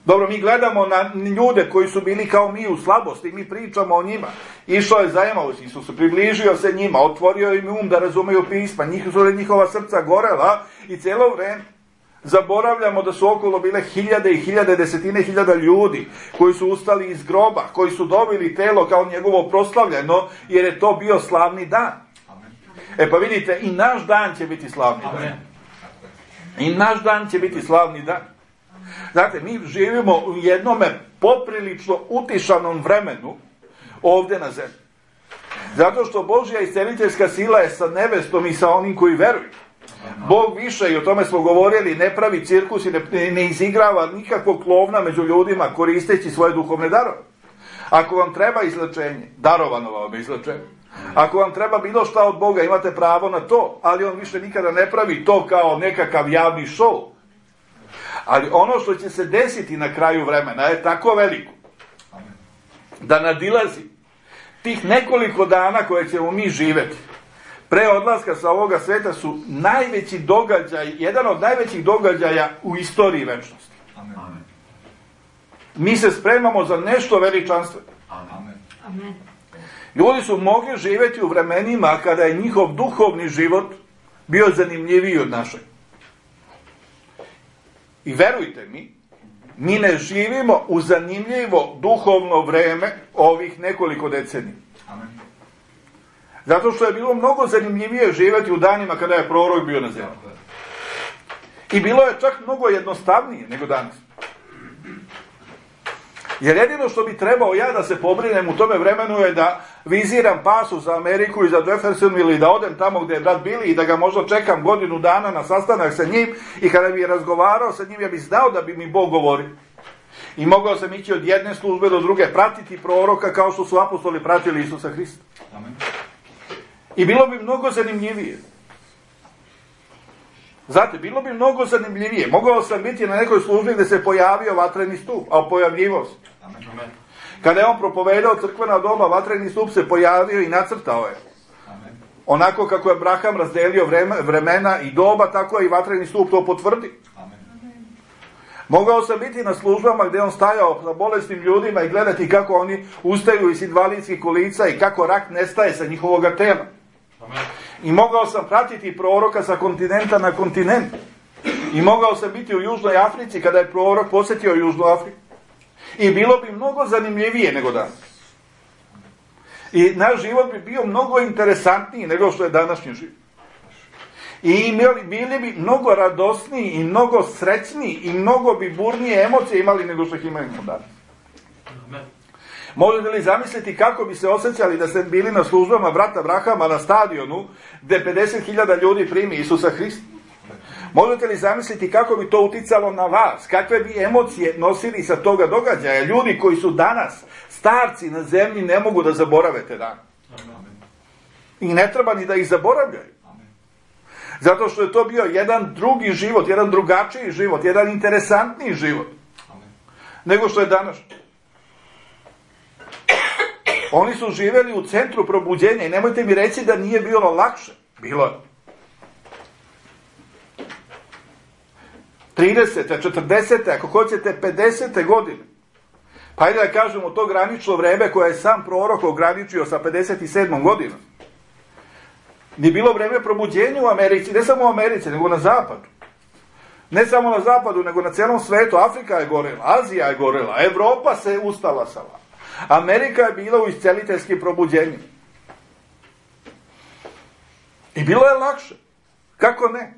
Dobro, mi gledamo na ljude koji su bili kao mi u slabosti, mi pričamo o njima. Išao je za Emaus, Isus približio se njima, otvorio im um da razumeju pisma, njihova srca gorela i cijelo vreme zaboravljamo da su okolo bile hiljade i hiljade, desetine hiljada ljudi koji su ustali iz groba, koji su dobili telo kao njegovo proslavljeno, jer je to bio slavni dan. Amen. E pa vidite, i naš dan će biti slavni dan. Amen. I naš dan će biti slavni dan. Znate, mi živimo u jednome poprilično utišanom vremenu ovdje na zemlji. Zato što Božja isceliteljska sila je sa nevestom i sa onim koji veruju. Bog više, i o tome smo govorili, ne pravi cirkus i ne, ne izigrava nikakvog klovna među ljudima koristeći svoje duhovne darove. Ako vam treba izlečenje, darovano vam je izlečenje. Ako vam treba bilo šta od Boga, imate pravo na to, ali on više nikada ne pravi to kao nekakav javni šou. Ali ono što će se desiti na kraju vremena je tako veliko da nadilazi tih nekoliko dana koje ćemo mi živjeti. Pre odlaska sa ovoga sveta su najveći događaj, jedan od najvećih događaja u istoriji večnosti. Amen. Mi se spremamo za nešto veličanstveno. Amen. Amen. Ljudi su mogli živjeti u vremenima kada je njihov duhovni život bio zanimljiviji od našeg. I verujte mi, mi ne živimo u zanimljivo duhovno vreme ovih nekoliko decenija. Amen. Zato što je bilo mnogo zanimljivije živjeti u danima kada je prorok bio na zemlji. I bilo je čak mnogo jednostavnije nego danas. Jer jedino što bi trebao ja da se pobrinem u tome vremenu je da viziram pasu za Ameriku i za Jefferson ili da odem tamo gdje je brat Billy i da ga možda čekam godinu dana na sastanak sa njim i kada bi razgovarao sa njim ja bih znao da bi mi Bog govorio. I mogao sam ići od jedne službe do druge, pratiti proroka kao što su apostoli pratili Isusa Hrista. Amen. I bilo bi mnogo zanimljivije. Znate, bilo bi mnogo zanimljivije. Mogao sam biti na nekoj službi gdje se pojavio vatreni stup, a pojavljivo se. Amen. Kada je on propovedao crkvena doba, vatreni stup se pojavio i nacrtao je. Amen. Onako kako je Abraham razdelio vremena i doba, tako je i vatreni stup to potvrdi. Amen. Mogao sam biti na službama gdje on stajao sa bolesnim ljudima i gledati kako oni ustaju iz invalidskih kolica i kako rak nestaje sa njihovoga tela. Amen. I mogao sam pratiti proroka sa kontinenta na kontinent. I mogao sam biti u Južnoj Africi kada je prorok posjetio Južnu Afriku. I bilo bi mnogo zanimljivije nego danas. I naš život bi bio mnogo interesantniji nego što je današnji život. I imali, bili bi mnogo radosniji i mnogo srećniji i mnogo bi burnije emocije imali nego što ih imamo danas. Amen. Možete li zamisliti kako bi se osjećali da ste bili na službama brata Abrahama na stadionu gdje pedeset hiljada ljudi primi Isusa Hrista? Možete li zamisliti kako bi to uticalo na vas? Kakve bi emocije nosili sa toga događaja? Ljudi koji su danas starci na zemlji ne mogu da zaborave te dane. I ne treba ni da ih zaboravljaju. Zato što je to bio jedan drugi život, jedan drugačiji život, jedan interesantniji život nego što je danas. Oni su živjeli u centru probuđenja i nemojte mi reći da nije bilo lakše. Bilo je. tridesete, četrdesete, ako hoćete pedesete godine. Pa ajde da kažemo to granično vreme koje je sam prorok ograničio sa pedeset sedmom godinom. Nije bilo vreme probuđenja u Americi, ne samo u Americi, nego na zapadu. Ne samo na zapadu, nego na cijelom svetu. Afrika je gorela, Azija je gorela, Evropa se ustala sa vama. Amerika je bila u isceliteljskim probuđenjima. I bilo je lakše. Kako ne?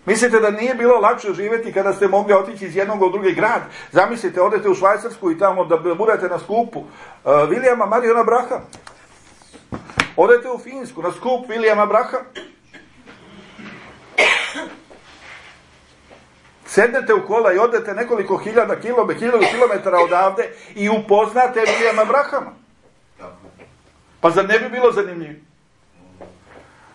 Mislite da nije bilo lakše živjeti kada ste mogli otići iz jednog u drugi grad? Zamislite, odete u Švajcarsku i tamo da budete na skupu uh, Williama Mariona Brahama. Odete u Finsku na skup Williama Brahama. Sednete u kola i odete nekoliko hiljada kilometara odavde i upoznate Williama Brahama. Pa zar ne bi bilo zanimljivo?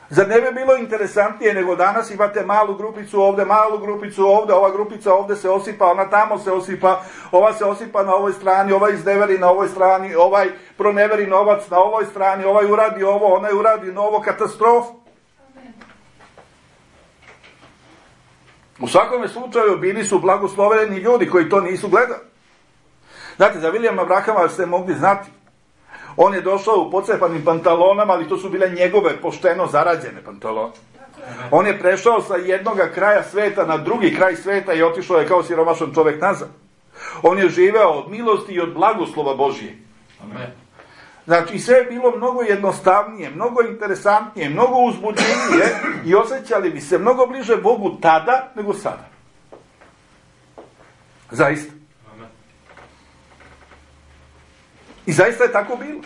Zar ne bi bilo interesantnije nego danas imate malu grupicu ovdje, malu grupicu ovdje, ova grupica ovdje se osipa, ona tamo se osipa, ova se osipa na ovoj strani, ovaj izneveri na ovoj strani, ovaj proneveri novac na ovoj strani, ovaj uradi ovo, onaj uradi novo, katastrofu. U svakome slučaju bili su blagosloveni ljudi koji to nisu gledali. Znate, za Williama Brahama ste mogli znati. On je došao u pocepanim pantalonama, ali to su bile njegove pošteno zarađene pantalone. On je prešao sa jednog kraja sveta na drugi kraj sveta i otišao je kao siromašan čovjek nazad. On je živeo od milosti i od blagoslova Božije. Amen. Znači, sve je bilo mnogo jednostavnije, mnogo interesantnije, mnogo uzbuđenije i osjećali bi se mnogo bliže Bogu tada nego sada. Zaista. Amen. I zaista je tako bilo.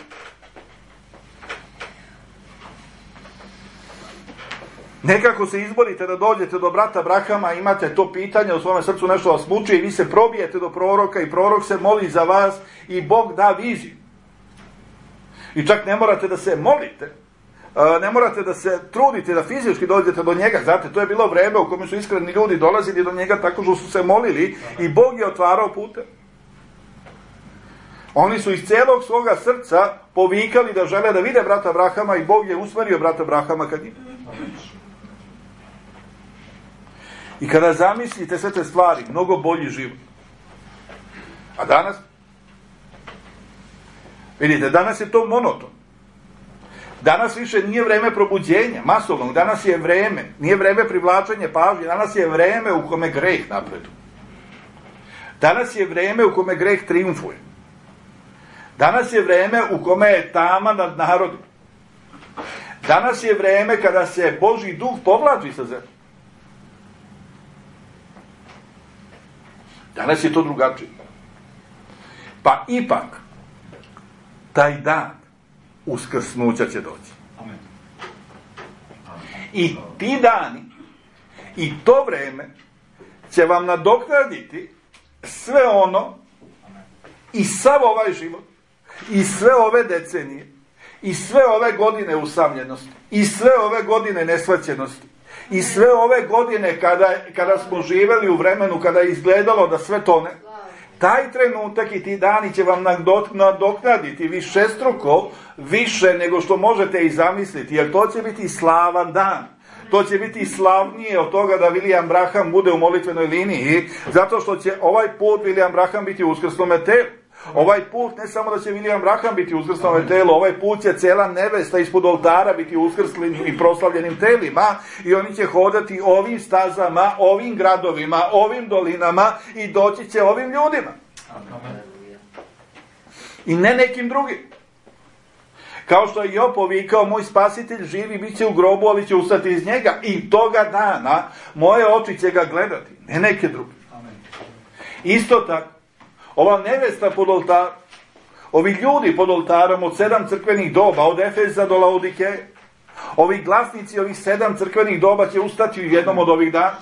Nekako se izborite da dođete do brata Brahama, imate to pitanje u svome srcu, nešto vas muči i vi se probijete do proroka i prorok se moli za vas i Bog da viziju. I čak ne morate da se molite, ne morate da se trudite da fizički dođete do njega. Znate, to je bilo vreme u kome su iskreni ljudi dolazili do njega tako što su se molili i Bog je otvarao pute. Oni su iz celog svoga srca povikali da žele da vide brata Abrahama i Bog je usmerio brata Abrahama kad njih. I kada zamislite sve te stvari, mnogo bolji život. A danas? Vidite, danas je to monoton. Danas više nije vreme probuđenja, masovnog. Danas je vreme, nije vreme privlačenja pažnje, danas je vreme u kome greh napreduje. Danas je vreme u kome greh triumfuje. Danas je vreme u kome je tama nad narodom. Danas je vreme kada se Božji duh povlači sa zemlje. Danas je to drugačije. Pa ipak, taj dan uskrsnuća će doći. Amen. I ti dani i to vreme će vam nadoknaditi sve ono i sav ovaj život i sve ove decenije i sve ove godine usamljenosti i sve ove godine nesvaćenosti i sve ove godine kada, kada smo živeli u vremenu kada je izgledalo da sve tone. Taj trenutak i ti dani će vam nadoknaditi višestruko više nego što možete i zamisliti, jer to će biti slavan dan. To će biti slavnije od toga da William Branham bude u molitvenoj liniji, zato što će ovaj put William Branham biti u uskrsnome telu. Ovaj put ne samo da će William Branham biti u uskrsnome telu, ovaj put će cela nevesta ispod oltara biti u uskrslim i proslavljenim telima i oni će hodati ovim stazama, ovim gradovima, ovim dolinama i doći će ovim ljudima. I ne nekim drugim. Kao što je Job povikao, moj spasitelj živi, bit će u grobu, ali će ustati iz njega. I toga dana moje oči će ga gledati, ne neke druge. Isto tako, ova nevesta pod oltarom, ovi ljudi pod oltarom od sedam crkvenih doba, od Efeza do Laodikeje, ovi glasnici ovih sedam crkvenih doba će ustati u jednom od ovih dana.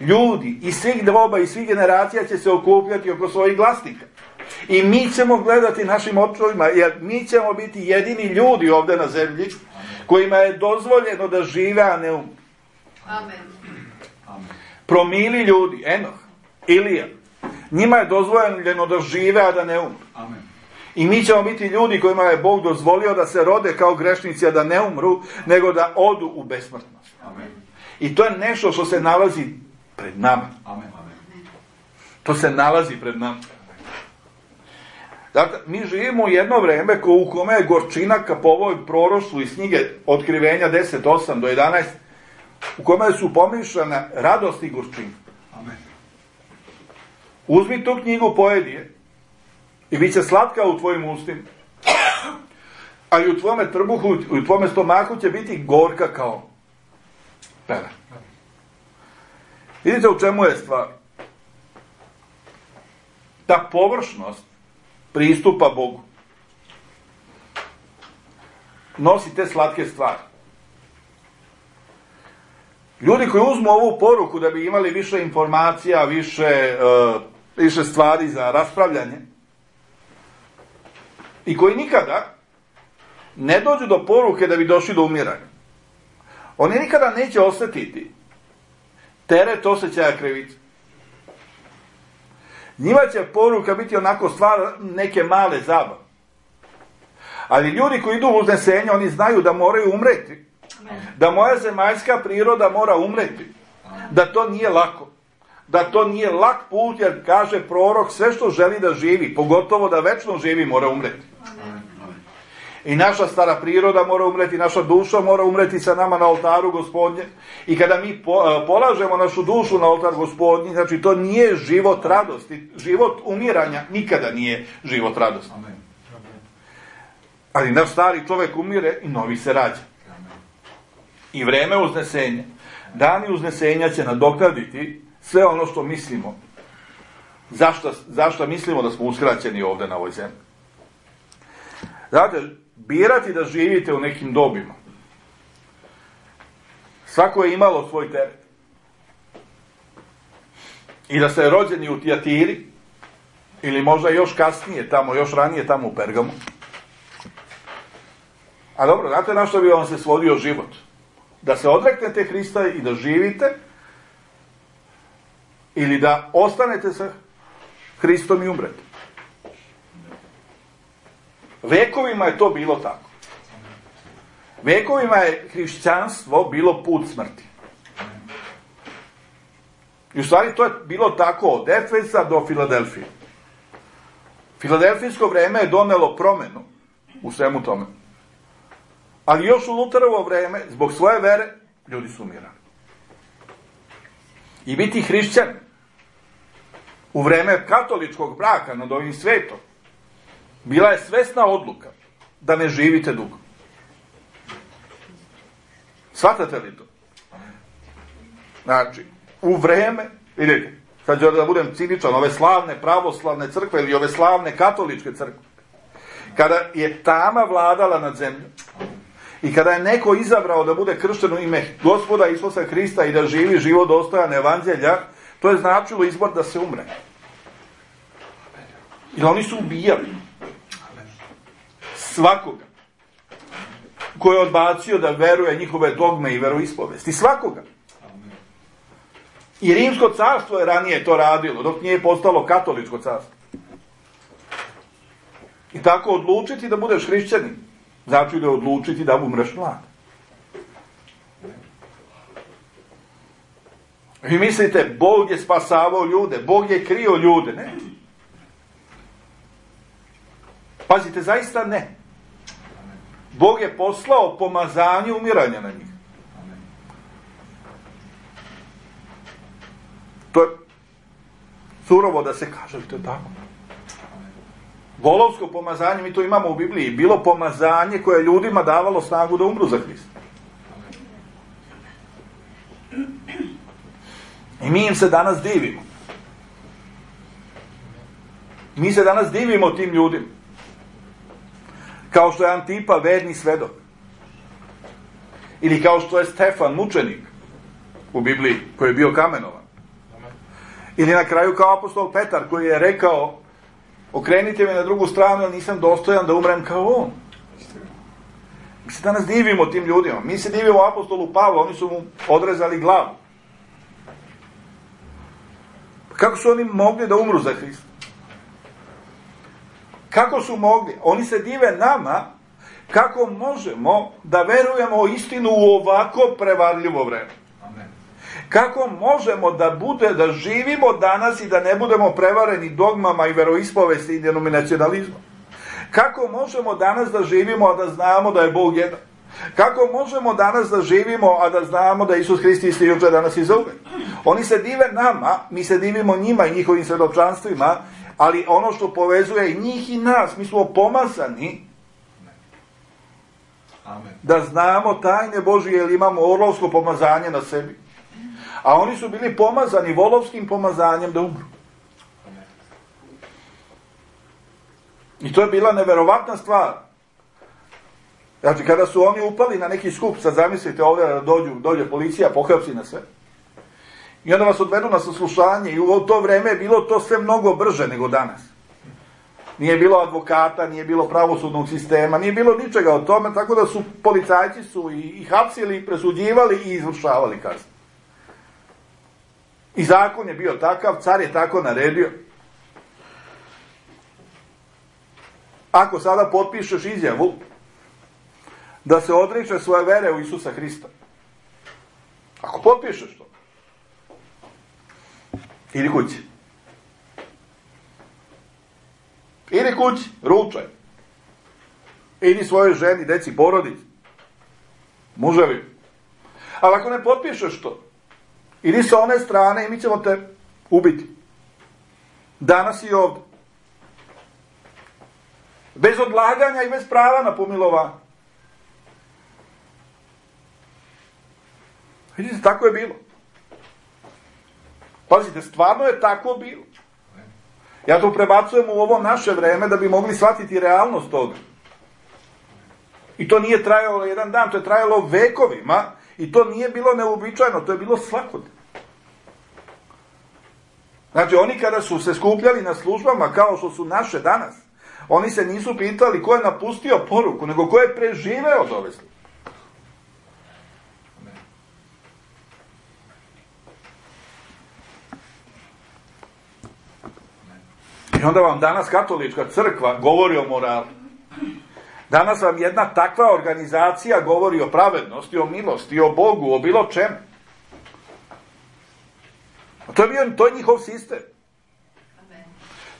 Ljudi iz svih doba i svih generacija će se okupljati oko svojih glasnika. I mi ćemo gledati našim očima, jer mi ćemo biti jedini ljudi ovdje na zemlji kojima je dozvoljeno da žive, a ne umru. Amen. Promili ljudi, Enoh, Ilija, njima je dozvoljeno da žive, a da ne umru. Amen. I mi ćemo biti ljudi kojima je Bog dozvolio da se rode kao grešnici, a da ne umru, nego da odu u besmrtnost. Amen. I to je nešto što se nalazi pred nama. Amen. To se nalazi pred nama. Dakle, mi živimo u jedno vreme ko u kome je gorčina ka po ovoj proroštvu iz knjige Otkrivenja deset osam do jedanaest, u kome su pomišljane radost i gorčina. Amen. Uzmi tu knjigu, pojedi je i bit će slatka u tvojim ustima. Ali u tvome trbuhu, u tvome stomaku će biti gorka kao pera. Vidite u čemu je stvar? Ta površnost pristupa Bogu nosi te slatke stvari. Ljudi koji uzmu ovu poruku da bi imali više informacija, više, uh, više stvari za raspravljanje i koji nikada ne dođu do poruke da bi došli do umiranja, oni nikada neće osjetiti teret osjećaja krivice. Njima će poruka biti onako stvar neke male zabave. Ali ljudi koji idu u uznesenje, oni znaju da moraju umreti. Da moja zemaljska priroda mora umreti. Da to nije lako. Da to nije lak put, jer kaže prorok, sve što želi da živi, pogotovo da večno živi, mora umreti. I naša stara priroda mora umreti, naša duša mora umreti sa nama na oltaru Gospodnje. I kada mi po, polažemo našu dušu na oltar Gospodnji, znači to nije život radosti. Život umiranja nikada nije život radosti. Amen. Ali naš stari čovjek umire i novi se rađa. I vreme uznesenja, dani uznesenja će nadoknaditi sve ono što mislimo. Zašto, zašto mislimo da smo uskraćeni ovdje na ovoj zemlji? Znate, birati da živite u nekim dobima. Svako je imalo svoj teret. I da ste rođeni u Tijatiri, ili možda još kasnije, tamo, još ranije tamo u Pergamu, A dobro, znate na što bi vam se svodio život? Da se odreknete Hrista i da živite, ili da ostanete sa Hristom i umrete. Vekovima je to bilo tako. Vekovima je hrišćanstvo bilo put smrti. I u stvari to je bilo tako od Efesa do Filadelfije. Filadelfijsko vreme je donelo promenu u svemu tome. Ali još u Luterovo vreme, zbog svoje vere, ljudi su umirali. I biti hrišćan u vreme katoličkog braka nad ovim svetom bila je svesna odluka da ne živite dugo. Shvatate li to? Znači, u vreme, vidite, sad ću da budem ciničan, ove slavne pravoslavne crkve ili ove slavne katoličke crkve, kada je tama vladala nad zemljom i kada je neko izabrao da bude kršten u ime Gospoda Isusa Hrista i da živi život dostojan evanđelja, to je značilo izbor da se umre. Jer oni su ubijali svakoga ko je odbacio da veruje njihove dogme i veroispovesti. Svakoga. I Rimsko carstvo je ranije to radilo, dok nije postalo katoličko carstvo. I tako odlučiti da budeš hrišćanin, znači da odlučiti da umreš mlad. Vi mislite, Bog je spasavao ljude, Bog je krio ljude, ne? Pazite, zaista ne. Bog je poslao pomazanje umiranja na njih. To je surovo da se kaže, to je tako. Volovsko pomazanje, mi to imamo u Bibliji, bilo pomazanje koje je ljudima davalo snagu da umru za Hrista. I mi im se danas divimo. Mi se danas divimo tim ljudima. Kao što je Antipa verni svedok. Ili kao što je Stefan mučenik u Bibliji, koji je bio kamenovan. Ili na kraju kao apostol Petar, koji je rekao, okrenite me na drugu stranu, jer nisam dostojan da umrem kao on. Mi se danas divimo tim ljudima. Mi se divimo apostolu Pavlu, oni su mu odrezali glavu. Kako su oni mogli da umru za Hrista? Kako su mogli? Oni se dive nama kako možemo da verujemo u istinu u ovako prevarljivo vreme. Amen. Kako možemo da bude, da živimo danas i da ne budemo prevareni dogmama i veroispovesti i denominacionalizmom. Kako možemo danas da živimo, a da znamo da je Bog jedan? Kako možemo danas da živimo, a da znamo da je Isus Hrist isti juče, danas i zauvek? Oni se dive nama, mi se divimo njima i njihovim svedočanstvima, ali ono što povezuje i njih i nas, mi smo pomazani Amen. Da znamo tajne Božije, jer imamo orlovsko pomazanje na sebi. A oni su bili pomazani volovskim pomazanjem da umru. Amen. I to je bila neverovatna stvar. Znači, kada su oni upali na neki skup, sad zamislite ovdje da dođu, dođe policija, pohapsi na sve. I onda vas odvedu na saslušanje i u to vreme je bilo to sve mnogo brže nego danas. Nije bilo advokata, nije bilo pravosudnog sistema, nije bilo ničega od tome, tako da su policajci su i, i hapsili, presuđivali i izvršavali kaznu. I zakon je bio takav, car je tako naredio. Ako sada potpišeš izjavu da se odriče svoje vere u Isusa Hrista, ako potpišeš to, idi kući. Idi kući, ručaj. Idi svojoj ženi, deci, porodici. Muževi. Ali ako ne potpišeš to, idi sa one strane i mi ćemo te ubiti. Danas i ovdje. Bez odlaganja i bez prava na pomilovanje. Vidite, tako je bilo. Pazite, stvarno je tako bilo. Ja to prebacujem u ovo naše vreme da bi mogli shvatiti realnost toga. I to nije trajalo jedan dan, to je trajalo vekovima i to nije bilo neuobičajeno, to je bilo svakodnevno. Znači, oni kada su se skupljali na službama kao što su naše danas, Oni se nisu pitali ko je napustio poruku, nego ko je preživeo od ove službe. I onda vam danas katolička crkva govori o moralu. Danas vam jedna takva organizacija govori o pravednosti, o milosti, o Bogu, o bilo čemu. To je, bio, to je njihov sistem.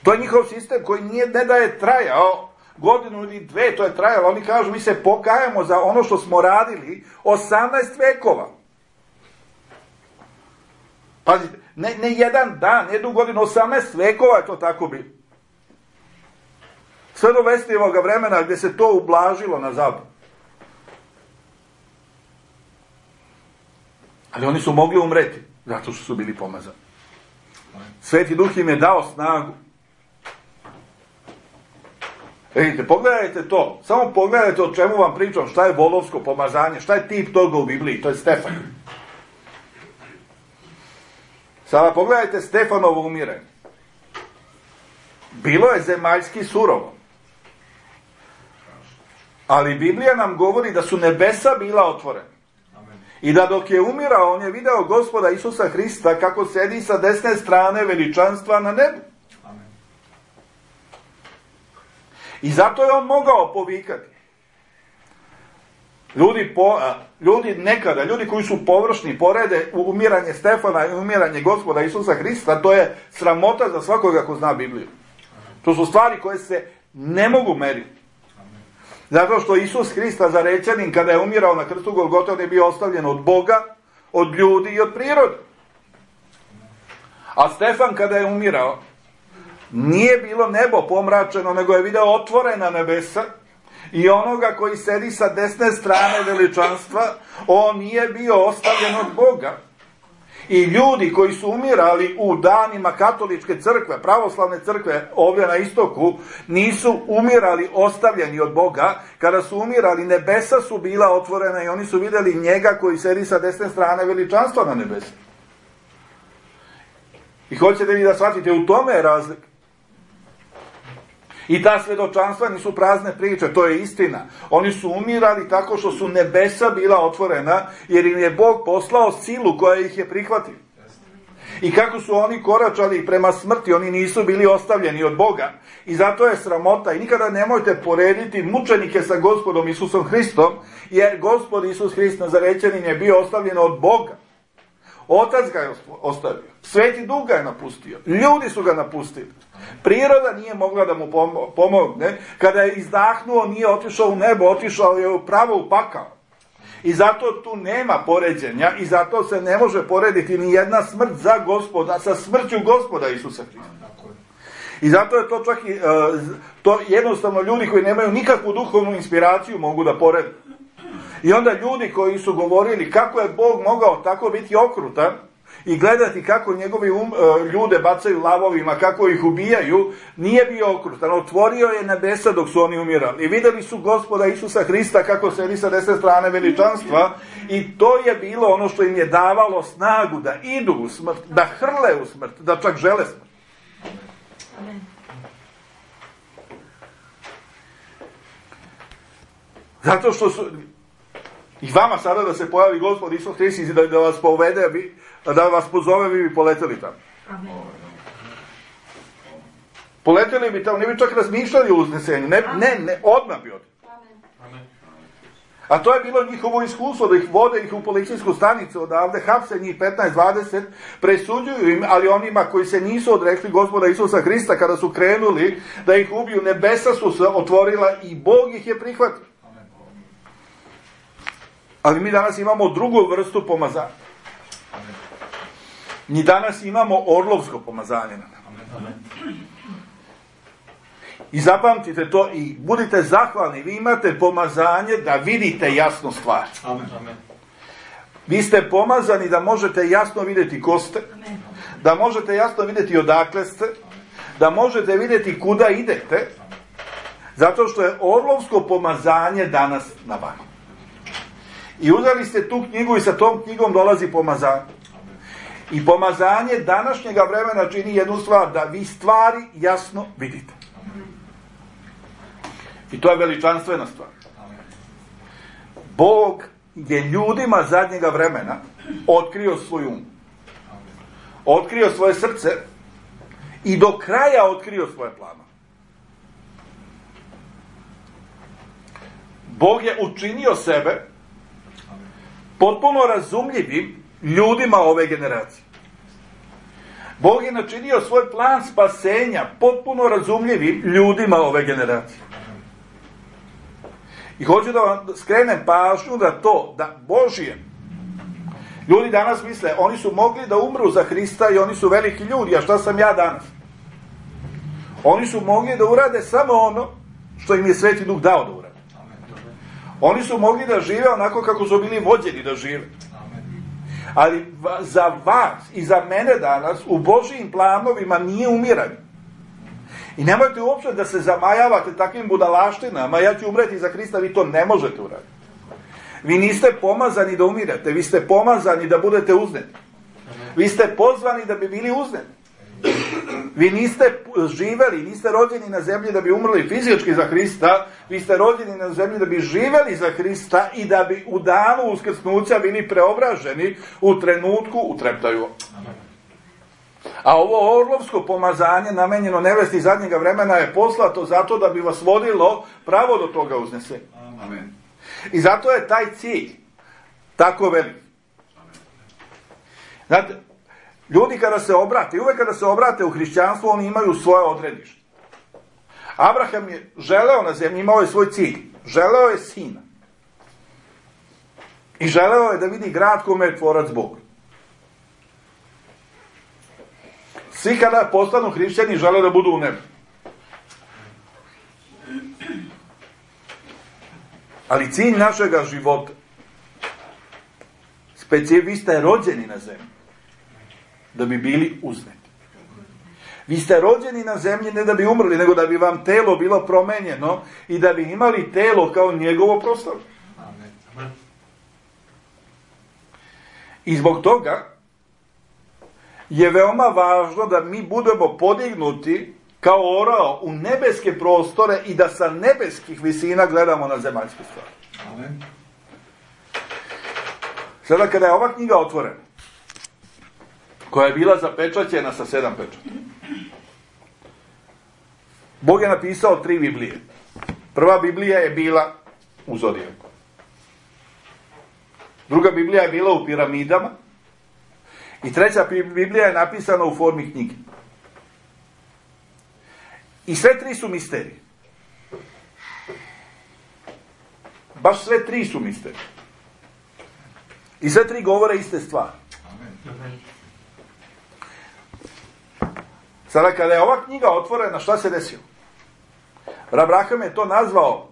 To je njihov sistem koji nije, ne da je trajao godinu ili dve, to je trajalo. Oni kažu, mi se pokajamo za ono što smo radili osamnaest vekova. Pazite, ne, ne jedan dan, ne jednu godinu, osamnaest vekova je to tako bilo. Sve do Vestijevoga vremena gdje se to ublažilo na zapad. Ali oni su mogli umreti, zato što su bili pomazani. Sveti Duh im je dao snagu. Vidite, pogledajte to. Samo pogledajte o čemu vam pričam, šta je volovsko pomazanje, šta je tip toga u Bibliji, to je Stefan. Sada pogledajte Stefanovo umiranje. Bilo je zemaljski surovo. Ali Biblija nam govori da su nebesa bila otvorena. I da dok je umirao, on je video Gospoda Isusa Hrista kako sedi sa desne strane veličanstva na nebu. I zato je on mogao povikati. Ljudi, po, ljudi nekada, ljudi koji su površni, porede umiranje Stefana i umiranje Gospoda Isusa Hrista, to je sramota za svakoga ko zna Bibliju. To su stvari koje se ne mogu meriti. Zato što Isus Hrista zarečenin kada je umirao na krstu Golgote, on je bio ostavljen od Boga, od ljudi i od prirode. A Stefan kada je umirao, nije bilo nebo pomračeno, nego je video otvorena nebesa i onoga koji sedi sa desne strane veličanstva, on nije bio ostavljen od Boga. I ljudi koji su umirali u danima katoličke crkve, pravoslavne crkve ovdje na istoku, nisu umirali ostavljeni od Boga. Kada su umirali, nebesa su bila otvorena i oni su vidjeli njega koji sedi sa desne strane veličanstva na nebesa. I hoćete vi da shvatite, u tome je razlika. I ta svjedočanstva nisu prazne priče, to je istina. Oni su umirali tako što su nebesa bila otvorena, jer im je Bog poslao silu koja ih je prihvatila. I kako su oni koračali prema smrti, oni nisu bili ostavljeni od Boga. I zato je sramota. I nikada nemojte porediti mučenike sa Gospodom Isusom Hristom, jer Gospod Isus Hrist Nazarečanin je bio ostavljen od Boga. Otac ga je ostavio. Sveti Duh ga je napustio. Ljudi su ga napustili. Priroda nije mogla da mu pomogne. Kada je izdahnuo, nije otišao u nebo, otišao je pravo u pakao. I zato tu nema poređenja i zato se ne može porediti ni jedna smrt za Gospoda sa smrću Gospoda Isusa Hrista. I zato je to čak i, to jednostavno ljudi koji nemaju nikakvu duhovnu inspiraciju mogu da porede. I onda ljudi koji su govorili kako je Bog mogao tako biti okrutan i gledati kako njegovi um, ljude bacaju lavovima, kako ih ubijaju, nije bio okrutan. Otvorio je nebesa dok su oni umirali. I vidjeli su Gospoda Isusa Hrista kako sedi sa desne strane veličanstva i to je bilo ono što im je davalo snagu da idu u smrt, da hrle u smrt, da čak žele smrt. Amen. Zato što su... I vama sada da se pojavi Gospod Isus Hrist i da, da vas povede, da vas pozove, vi bi poleteli tamo. Amen. Poleteli bi tamo, ne bi čak razmišljali o uznesenju. Ne, ne, ne, odmah bi odmah. A to je bilo njihovo iskustvo, da ih vode ih u policijsku stanicu odavde, hapse njih petnaest dvadeset, presuđuju im, ali onima koji se nisu odrekli Gospoda Isusa Hrista, kada su krenuli da ih ubiju, nebesa su se otvorila i Bog ih je prihvatio. Ali mi danas imamo drugu vrstu pomazanja. Mi danas imamo orlovsko pomazanje. I zapamtite to i budite zahvalni. Vi imate pomazanje da vidite jasno stvar. Vi ste pomazani da možete jasno vidjeti ko ste, da možete jasno vidjeti odakle ste, da možete vidjeti kuda idete, zato što je orlovsko pomazanje danas na vama. I uzeli ste tu knjigu i sa tom knjigom dolazi pomazanje. I pomazanje današnjega vremena čini jednu stvar, da vi stvari jasno vidite. I to je veličanstvena stvar. Bog je ljudima zadnjega vremena otkrio svoj um. Otkrio svoje srce i do kraja otkrio svoje planove. Bog je učinio sebe potpuno razumljivim ljudima ove generacije. Bog je načinio svoj plan spasenja potpuno razumljivim ljudima ove generacije. I hoću da vam skrenem pažnju da to, da Božije, ljudi danas misle, oni su mogli da umru za Hrista i oni su veliki ljudi, a šta sam ja danas? Oni su mogli da urade samo ono što im je Sveti Duh dao da urade. Oni su mogli da žive onako kako su bili vođeni da žive. Ali za vas i za mene danas u Božijim planovima nije umiranje. I nemojte uopšte da se zamajavate takvim budalaštinama, ja ću umreti za Hrista, vi to ne možete uraditi. Vi niste pomazani da umirate, vi ste pomazani da budete uzneti. Vi ste pozvani da bi bili uzneti. Vi niste živeli, niste rođeni na zemlji da bi umrli fizički za Hrista, vi ste rođeni na zemlji da bi živeli za Hrista i da bi u danu uskrsnuća bili preobraženi u trenutku u treptaju. A ovo orlovsko pomazanje namenjeno nevesti zadnjega vremena je poslato zato da bi vas vodilo pravo do toga uznesenja. Amen. I zato je taj cilj tako velik. Znate, ljudi kada se obrate, i uvek kada se obrate u hrišćanstvo, oni imaju svoje odredište. Abraham je želeo na zemlji, imao je svoj cilj. Želeo je sina. I želeo je da vidi grad kome je tvorac Bog. Svi kada postanu hrišćani žele da budu u nebu. Ali cilj našega života, specijalno, vi ste rođeni na zemlji da bi bili uzneti. Vi ste rođeni na zemlji ne da bi umrli, nego da bi vam telo bilo promenjeno i da bi imali telo kao njegovo proslavlje. I zbog toga je veoma važno da mi budemo podignuti kao orao u nebeske prostore i da sa nebeskih visina gledamo na zemaljske stvari. Amen. Sada kada je ova knjiga otvorena, koja je bila zapečaćena sa sedam pečata, Bog je napisao tri Biblije. Prva Biblija je bila u Zodijaku. Druga Biblija je bila u piramidama. I treća Biblija je napisana u formi knjige. I sve tri su misterije. Baš sve tri su misterije. I sve tri govore iste stvari. Sada kada je ova knjiga otvorena, šta se desilo? Abraham je to nazvao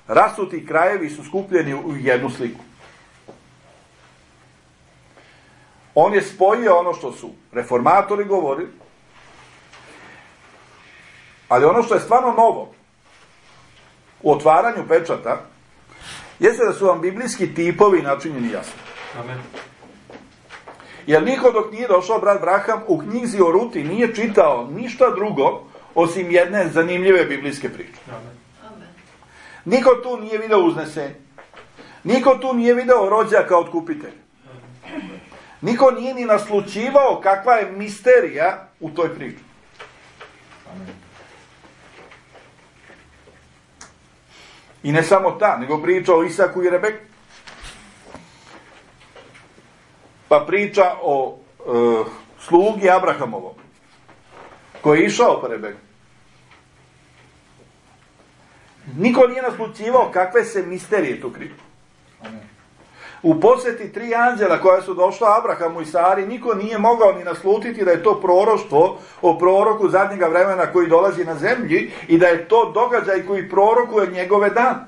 rasuti krajevi su skupljeni u jednu sliku. On je spojio ono što su reformatori govorili, ali ono što je stvarno novo u otvaranju pečata jeste da su vam biblijski tipovi načinjeni jasno. Amen. Jer niko dok nije došao brat Abraham u knjizi o Ruti nije čitao ništa drugo osim jedne zanimljive biblijske priče. Amen. Niko tu nije video uznesenje. Niko tu nije video rođaka od kupitelja. Niko nije ni naslućivao kakva je misterija u toj priči. Amen. I ne samo ta, nego priča o Isaku i Rebeku. Pa priča o e, slugi Abrahamovom, koji je išao po Rebeku. Niko nije naslućivao kakve se misterije tu kriju. U posjeti tri anđela koja su došla Abrahamu i Sari, niko nije mogao ni naslutiti da je to proroštvo o proroku zadnjega vremena koji dolazi na zemlji i da je to događaj koji prorokuje njegove dane.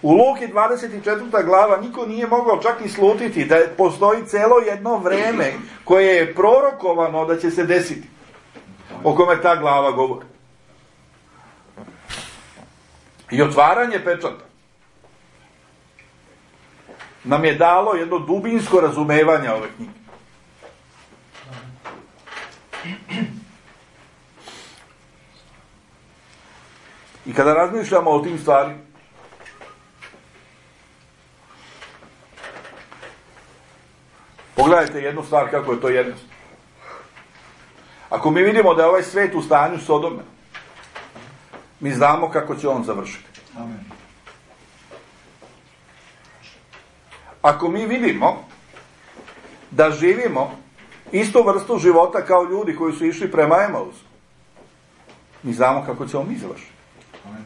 U Luki dvadeset četvrta glava niko nije mogao čak ni slutiti da postoji celo jedno vreme koje je prorokovano da će se desiti, o kome ta glava govori. I otvaranje pečata nam je dalo jedno dubinsko razumevanje ove knjige. I kada razmišljamo o tim stvarima, pogledajte jednu stvar kako je to jednostavno. Ako mi vidimo da je ovaj svet u stanju Sodome, mi znamo kako će on završiti. Amen. Ako mi vidimo da živimo istu vrstu života kao ljudi koji su išli prema Emausu, mi znamo kako će on mi završiti. Amen.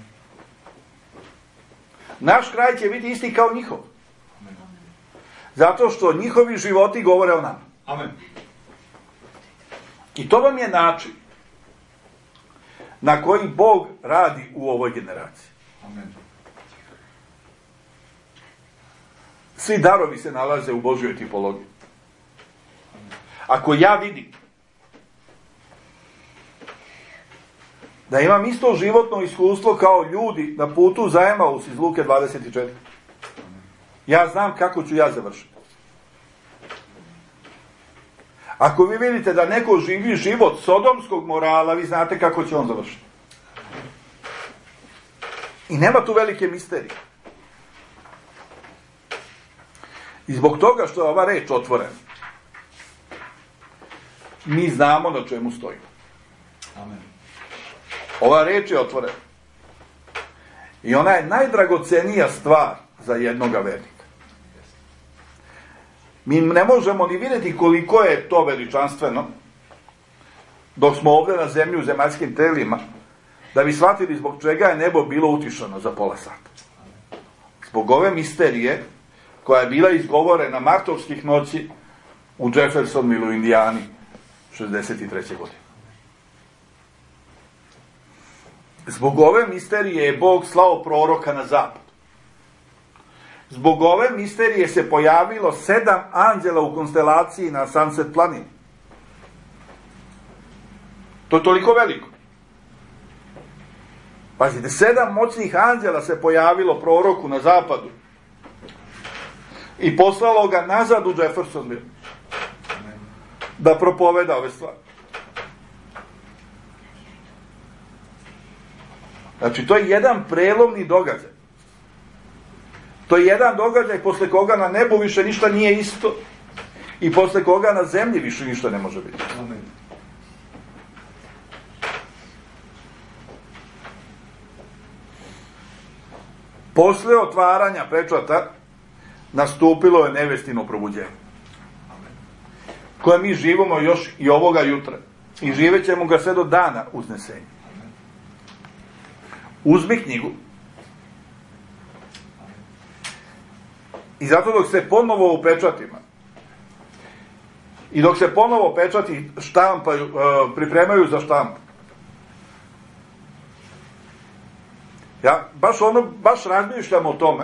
Naš kraj će biti isti kao njihov. Amen. Zato što njihovi životi govore o nama. Amen. I to vam je način na koji Bog radi u ovoj generaciji. Amen. Svi darovi se nalaze u Božjoj tipologiji. Ako ja vidim da imam isto životno iskustvo kao ljudi na putu za Emaus iz Luke dvadeset četiri, ja znam kako ću ja završiti. Ako vi vidite da neko živi život sodomskog morala, vi znate kako će on završiti. I nema tu velike misterije. I zbog toga što je ova reč otvorena, mi znamo na čemu stojimo. Amen. Ova reč je otvorena. I ona je najdragocenija stvar za jednoga vernika. Mi ne možemo ni vidjeti koliko je to veličanstveno dok smo ovdje na zemlji u zemaljskim telima, da bi shvatili zbog čega je nebo bilo utišano za pola sata. Zbog ove misterije koja je bila izgovorena martovskih noći u Jeffersonville u Indijani šezdeset treće godine. Zbog ove misterije je Bog slao proroka na zapad. Zbog ove misterije se pojavilo sedam anđela u konstelaciji na Sunset planini. To je toliko veliko. Pazite, sedam moćnih anđela se pojavilo proroku na zapadu i poslalo ga nazad u Jeffersonville da propoveda ove stvari. Znači, to je jedan prelomni događaj. To je jedan događaj posle koga na nebu više ništa nije isto i posle koga na zemlji više ništa ne može biti. Amen. Posle otvaranja pečata nastupilo je nevestino probuđenje, koje mi živimo još i ovoga jutra i živet ćemo ga sve do dana uznesenja. Uzmi knjigu i zato dok se ponovo u pečatima i dok se ponovo pečati štampaju, pripremaju za štampu, ja baš ono, baš razmišljam o tome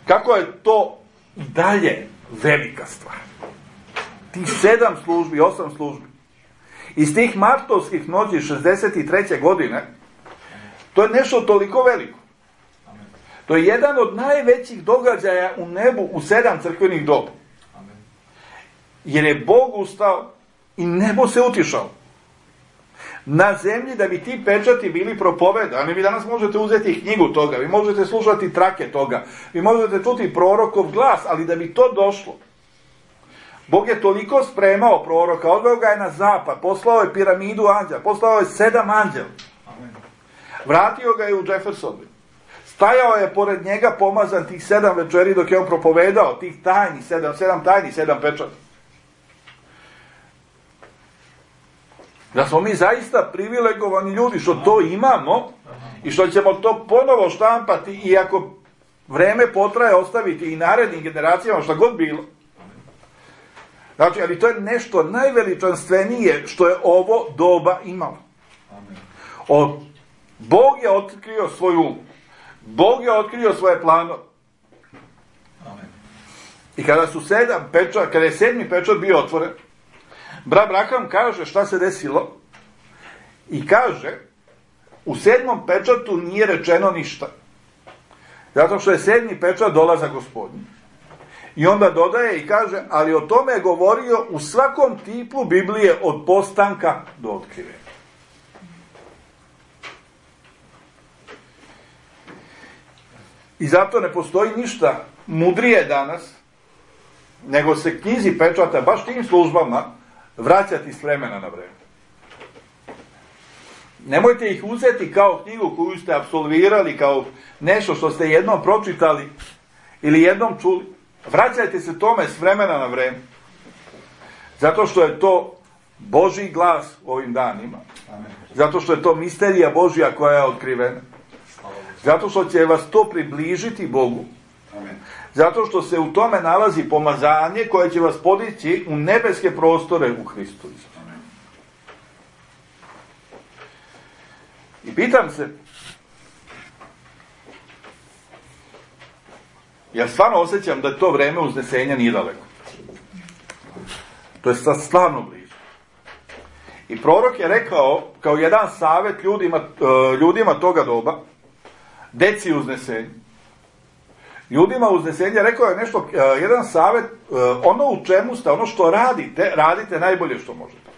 kako je to i dalje velika stvar. Tih sedam službi, osam službi iz tih martovskih noći šezdeset treće godine, to je nešto toliko veliko. To je jedan od najvećih događaja u nebu u sedam crkvenih doba. Jer je Bog ustao i nebo se utišao na zemlji da bi ti pečati bili propovedani. Vi danas možete uzeti knjigu toga, vi možete slušati trake toga, vi možete čuti prorokov glas, ali da bi to došlo, Bog je toliko spremao proroka, odveo ga je na zapad, poslao je piramidu anđela, poslao je sedam anđela, vratio ga je u Jeffersonville, stajao je pored njega pomazan tih sedam večeri dok je on propovedao tih tajni, sedam, sedam tajni, sedam pečata. Da smo mi zaista privilegovani ljudi što to imamo i što ćemo to ponovo štampati i ako vreme potraje ostaviti i narednim generacijama šta god bilo. Znači, ali to je nešto najveličanstvenije što je ovo doba imalo. O, Bog je otkrio svoju um. Bog je otkrio svoje planove. I kada su sedam pečat, kada je sedmi pečat bio otvoren, brat Braham kaže šta se desilo i kaže u sedmom pečatu nije rečeno ništa. Zato što je sedmi pečat dolazak Gospodnji. I onda dodaje i kaže, ali o tome je govorio u svakom tipu Biblije od postanka do otkrivenja. I zato ne postoji ništa mudrije danas, nego se knjizi pečata baš tim službama vraćati s vremena na vreme. Nemojte ih uzeti kao knjigu koju ste apsolvirali, kao nešto što ste jednom pročitali ili jednom čuli. Vraćajte se tome s vremena na vreme. Zato što je to Božji glas u ovim danima. Zato što je to misterija Božja koja je otkrivena. Zato što će vas to približiti Bogu. Zato što se u tome nalazi pomazanje koje će vas podići u nebeske prostore u Hristu. I pitam se, ja stvarno osjećam da to vreme uznesenja nije daleko. To je sad stvarno blizu. I prorok je rekao, kao jedan savjet ljudima, ljudima toga doba, deci uznesenja. Ljudima uznesenja rekao je nešto, jedan savjet, ono u čemu ste, ono što radite, radite najbolje što možete.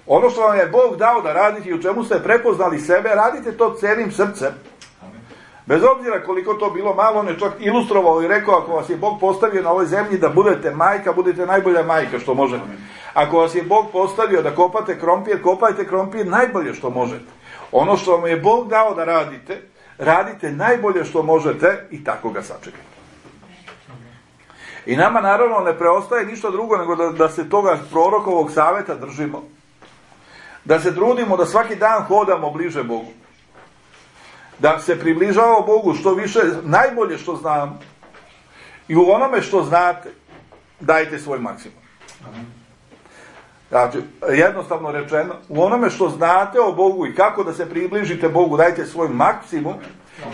Ono što vam je Bog dao da radite i u čemu ste prepoznali sebe, radite to celim srcem. Bez obzira koliko to bilo malo, on je čak ilustrovao i rekao, ako vas je Bog postavio na ovoj zemlji da budete majka, budete najbolja majka što možete. Ako vas je Bog postavio da kopate krompir, kopajte krompir najbolje što možete. Ono što vam je Bog dao da radite, radite najbolje što možete i tako ga sačekajte. I nama naravno ne preostaje ništa drugo nego da, da se toga prorokovog savjeta držimo. Da se trudimo da svaki dan hodamo bliže Bogu. Da se približavamo Bogu što više, najbolje što znamo. I u onome što znate, dajte svoj maksimum. Znači, jednostavno rečeno, u onome što znate o Bogu i kako da se približite Bogu, dajte svoj maksimum.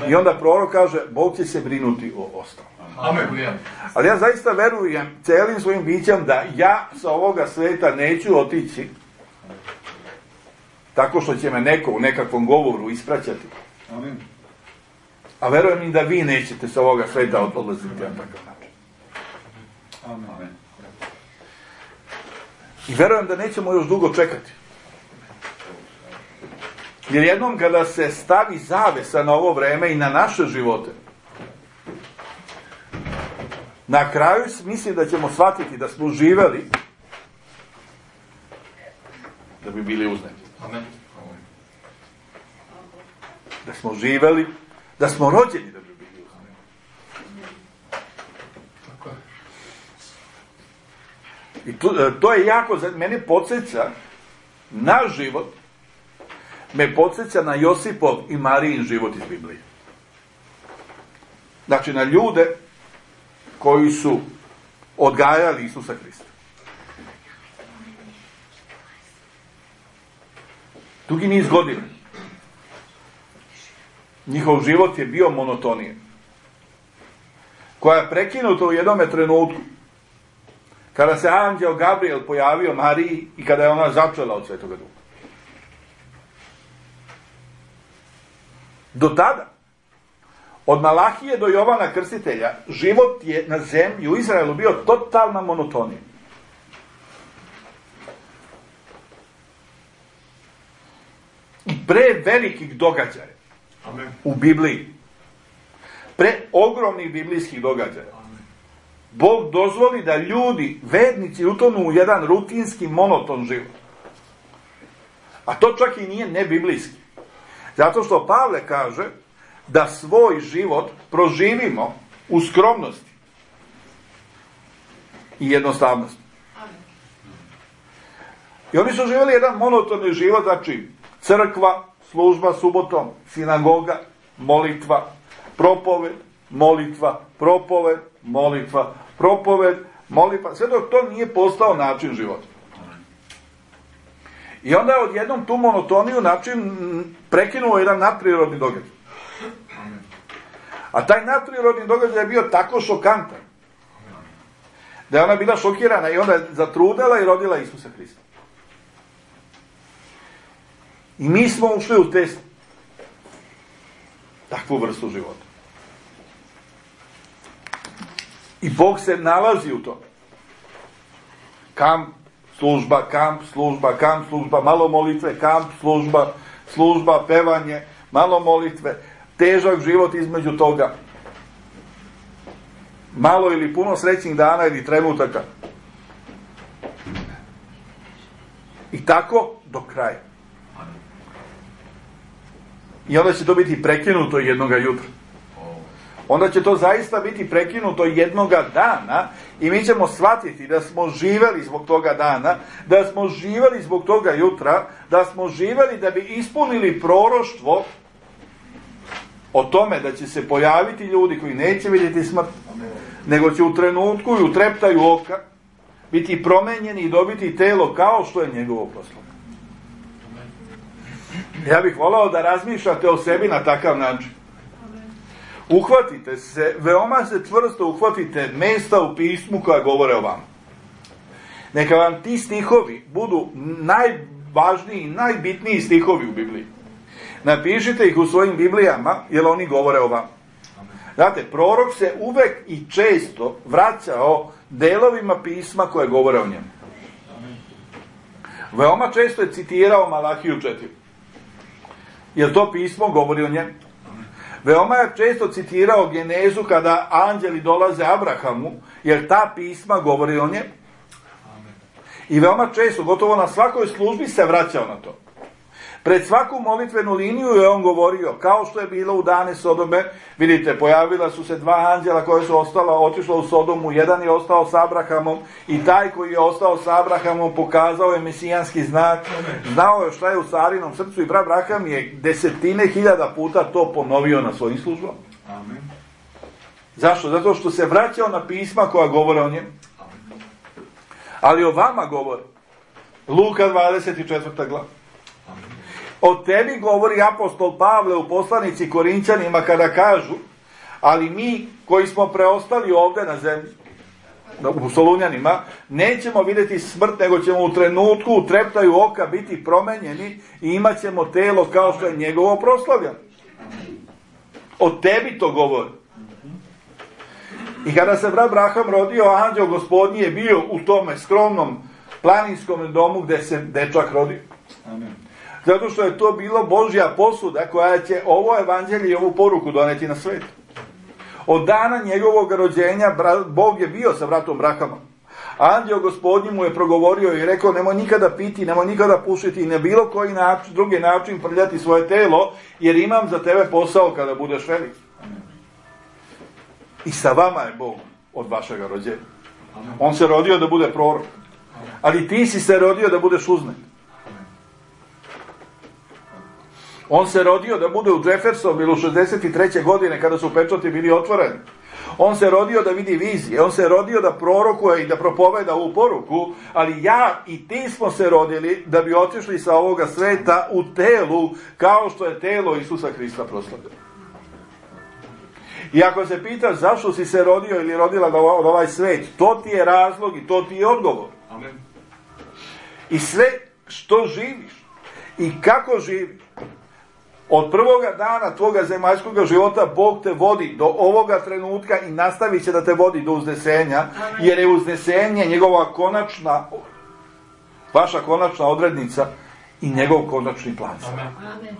I onda prorok kaže, Bog će se brinuti o ostalom. Amen. Ali ja zaista verujem celim svojim bićem da ja sa ovoga sveta neću otići tako što će me neko u nekakvom govoru ispraćati. Amen. A verujem i da vi nećete sa ovoga sveta odlaziti na takav način. Amen. I verujem da nećemo još dugo čekati. Jer jednom kada se stavi zavesa na ovo vreme i na naše živote, na kraju mislim da ćemo shvatiti da smo živeli da bi bili uzneti. Amen. Da smo živeli, da smo rođeni da bi bili uzneti. I to, to je jako, mene podsjeća na život, me podsjeća na Josipov i Marijin život iz Biblije. Znači na ljude koji su odgajali Isusa Hrista. Dugi niz godina. Njihov život je bio monotonijan. Koja je prekinuta u jednome trenutku. Kada se anđeo Gabriel pojavio Mariji i kada je ona začela od Svetoga Duha. Do tada, od Malahije do Jovana Krstitelja, život je na zemlji u Izraelu bio totalna monotonija. I pre velikih događaja Amen. U Bibliji, pre ogromnih biblijskih događaja, Amen. Bog dozvoli da ljudi, vernici, utonu u jedan rutinski, monoton život. A to čak i nije nebiblijski. Zato što Pavle kaže da svoj život proživimo u skromnosti i jednostavnosti. I oni su živjeli jedan monotoni život, znači crkva, služba subotom, sinagoga, molitva, propoved, molitva, propoved, molitva, propoved, molitva, sve dok to nije postao način života. I onda je odjednom tu monotoniju način prekinuo jedan nadprirodni događaj. A taj nadprirodni događaj je bio tako šokantan da je ona bila šokirana i onda je zatrudela i rodila Isusa Hrista. I mi smo ušli u te takvu vrstu života. I Bog se nalazi u tome. Kamp, služba, kamp, služba, kamp, služba, malo molitve, kamp, služba, služba, pevanje, malo molitve, težak život između toga, malo ili puno srećnih dana ili trenutaka. I tako do kraja. I onda će to biti prekinuto jednoga jutra. Onda će to zaista biti prekinuto jednoga dana i mi ćemo shvatiti da smo živeli zbog toga dana, da smo živeli zbog toga jutra, da smo živeli da bi ispunili proroštvo o tome da će se pojaviti ljudi koji neće vidjeti smrt, nego će u trenutku i u treptaju oka biti promenjeni i dobiti telo kao što je njegovo proslavo. Ja bih volao da razmišljate o sebi na takav način. Uhvatite se, veoma se čvrsto uhvatite mesta u pismu koja govore o vama. Neka vam ti stihovi budu najvažniji, najbitniji stihovi u Bibliji. Napišite ih u svojim Biblijama, jer oni govore o vama. Znate, prorok se uvek i često vraćao delovima pisma koje govore o njemu. Veoma često je citirao Malahiju četiri. Jer to pismo govori o njemu. Veoma je često citirao Genezu kada anđeli dolaze Abrahamu, jer ta pisma govori o njemu. I veoma često, gotovo na svakoj službi se vraćao na to. Pred svaku molitvenu liniju je on govorio, kao što je bilo u dane Sodome, vidite, pojavila su se dva anđela koja su ostala, otišla u Sodomu, jedan je ostao s Abrahamom i taj koji je ostao s Abrahamom pokazao je mesijanski znak, znao je šta je u Sarinom srcu i brat Abraham je desetine hiljada puta to ponovio na svojim službama. Amen. Zašto? Zato što se vraćao na pisma koja govore o njemu. Ali o vama govore. Luka dvadeset četvrta glava. O tebi govori apostol Pavle u poslanici Korinćanima kada kažu, ali mi koji smo preostali ovdje na zemlji, u Solunjanima, nećemo vidjeti smrt, nego ćemo u trenutku, u treptaju oka biti promenjeni i imat ćemo telo kao što je njegovo proslavljeno. O tebi to govori. I kada se brat Abraham rodio, anđeo Gospodnji je bio u tome skromnom planinskom domu gdje se dečak rodio. Amen. Zato što je to bilo Božja posuda koja će ovo evanđelje i ovu poruku doneti na svijet. Od dana njegovog rođenja Bog je bio sa bratom Abrahamom. Anđeo Gospodnji mu je progovorio i rekao, nemoj nikada piti, nemoj nikada pušiti i na bilo koji način, drugi način prljati svoje telo, jer imam za tebe posao kada budeš velik. I sa vama je Bog od vašega rođenja. On se rodio da bude prorok. Ali ti si se rodio da budeš uznet. On se rodio da bude u Jeffersonville u šezdeset treće godine kada su pečati bili otvoreni. On se rodio da vidi vizije. On se rodio da prorokuje i da propoveda ovu poruku. Ali ja i ti smo se rodili da bi otišli sa ovoga sveta u telu kao što je telo Isusa Hrista proslavljeno. I ako se pitaš zašto si se rodio ili rodila od ovaj svet, to ti je razlog i to ti je odgovor. Amen. I sve što živiš i kako živiš, od prvoga dana tvoga zemaljskog života Bog te vodi do ovoga trenutka i nastavit će da te vodi do uznesenja, jer je uznesenje njegova konačna, vaša konačna odrednica i njegov konačni plan. Amen.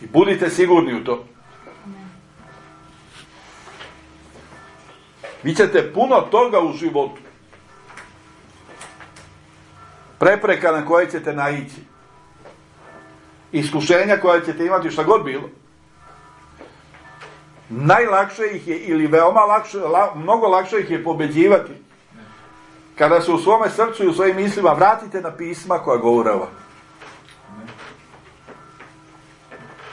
I budite sigurni u to. Vi ćete puno toga u životu, prepreka na koje ćete naići, iskušenja koje ćete imati, šta god bilo, najlakše ih je, ili veoma lakše, la, mnogo lakše ih je pobeđivati kada se u svome srcu i u svojim mislima vratite na pisma koja govore o vam.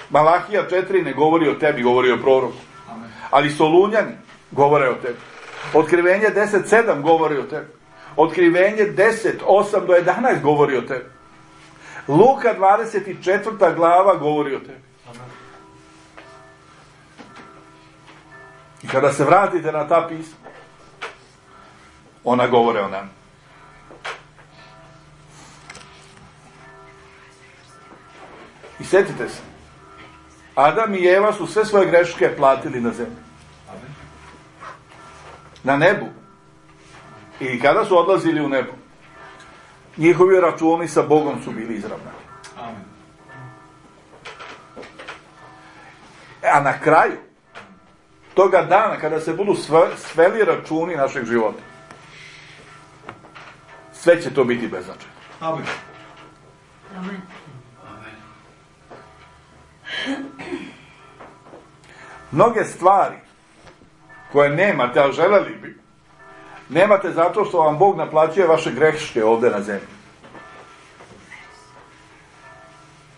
Malahija četiri ne govori o tebi, govori o proroku. Ali Solunjani govore o tebi. Otkrivenje deset sedam govori o tebi. Otkrivenje deset osam do jedanaest govori o tebi. Luka dvadeset četvrta glava govori o tebi. I kada se vratite na ta pisma, ona govore o nama. I sjetite se, Adam i Eva su sve svoje greške platili na zemlji. Na nebu. I kada su odlazili u nebo, njihovi računi sa Bogom su bili izravnani. A na kraju toga dana, kada se budu sveli računi našeg života, sve će to biti beznačajno. Amen. Amen. Mnoge stvari koje nemate, a želeli bi, nemate zato što vam Bog naplaćuje vaše greške ovdje na zemlji.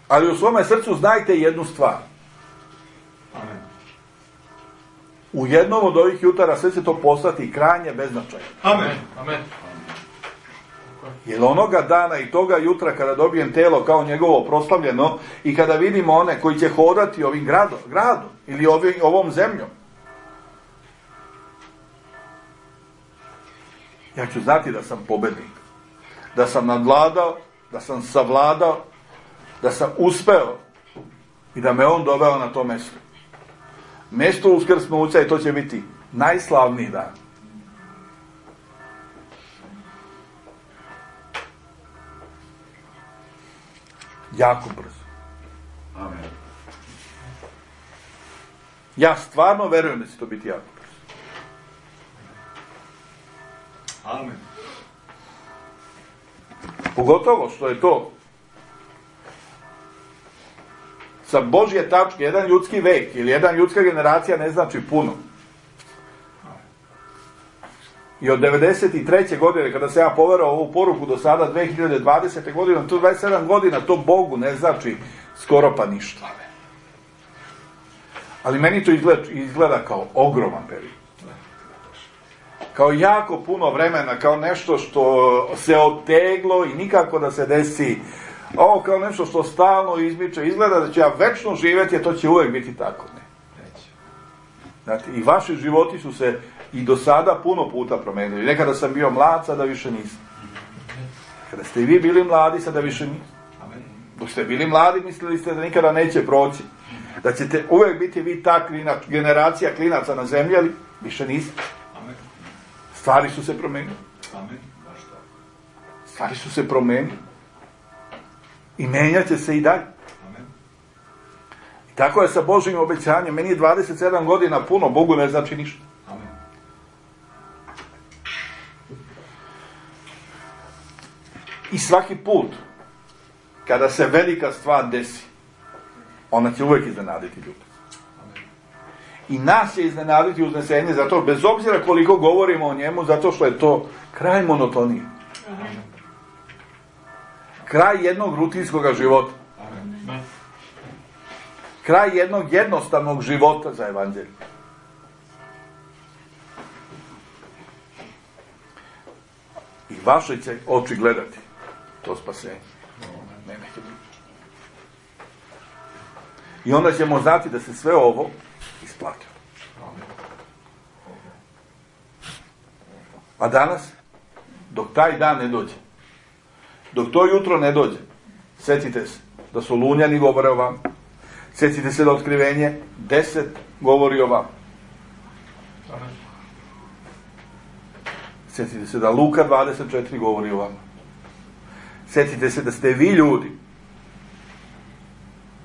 Ali u svome srcu znajte jednu stvar. Amen. U jednom od ovih jutara sve će to postati krajnje beznačajno. Amen. Amen. Jer onoga dana i toga jutra kada dobijem telo kao njegovo proslavljeno i kada vidimo one koji će hodati ovim gradom, gradom ili ovim, ovom zemljom, ja ću znati da sam pobednik, da sam nadvladao, da sam savladao, da sam uspeo i da me on doveo na to mjesto. Mjesto uskrsnuća i to će biti najslavniji dan. Jako brzo. Amen. Ja stvarno verujem da će to biti jako brzo. Amen. Pogotovo što je to sa Božje tačke, jedan ljudski vek ili jedan ljudska generacija ne znači puno. I od devedeset treće godine, kada se ja poverao ovu poruku do sada, dve hiljade dvadesete godine, to dvadeset sedam godina, to Bogu ne znači skoro pa ništa. Ali meni to izgleda, izgleda kao ogroman period. Kao jako puno vremena, kao nešto što se oteglo i nikako da se desi. Ovo kao nešto što stalno izmiče, izgleda da ću ja večno živjeti, a to će uvijek biti tako. Ne. Znate, i vaši životi su se i do sada puno puta promenili. Nekada sam bio mlad, sada više nisam. Kada ste i vi bili mladi, sada više nisam. Dok ste bili mladi, mislili ste da nikada neće proći. Da ćete uvijek biti vi ta klinač, generacija klinaca na zemlji, ali više niste. Stvari su se promenili. Stvari su se promenili. I menjat će se i dalje. I tako je sa Božjim obećanjem. Meni je dvadeset sedam godina puno, Bogu ne znači ništa. I svaki put kada se velika stvar desi, ona će uvijek iznenaditi ljude. I nas će iznenaditi uznesenje, zato bez obzira koliko govorimo o njemu, zato što je to kraj monotonije. Kraj jednog rutinskog života. Kraj jednog jednostavnog života za evanđelje. I vaše će oči gledati to spasenje. Ne, neće biti. I onda ćemo znati da se sve ovo isplatilo. A danas, dok taj dan ne dođe, dok to jutro ne dođe, sjetite se da su Lunjani govore o vam, sjetite se da Otkrivenje deset govori o vam. Sjetite se da Luka dvadeset četiri govori o vam. Sjetite se da ste vi ljudi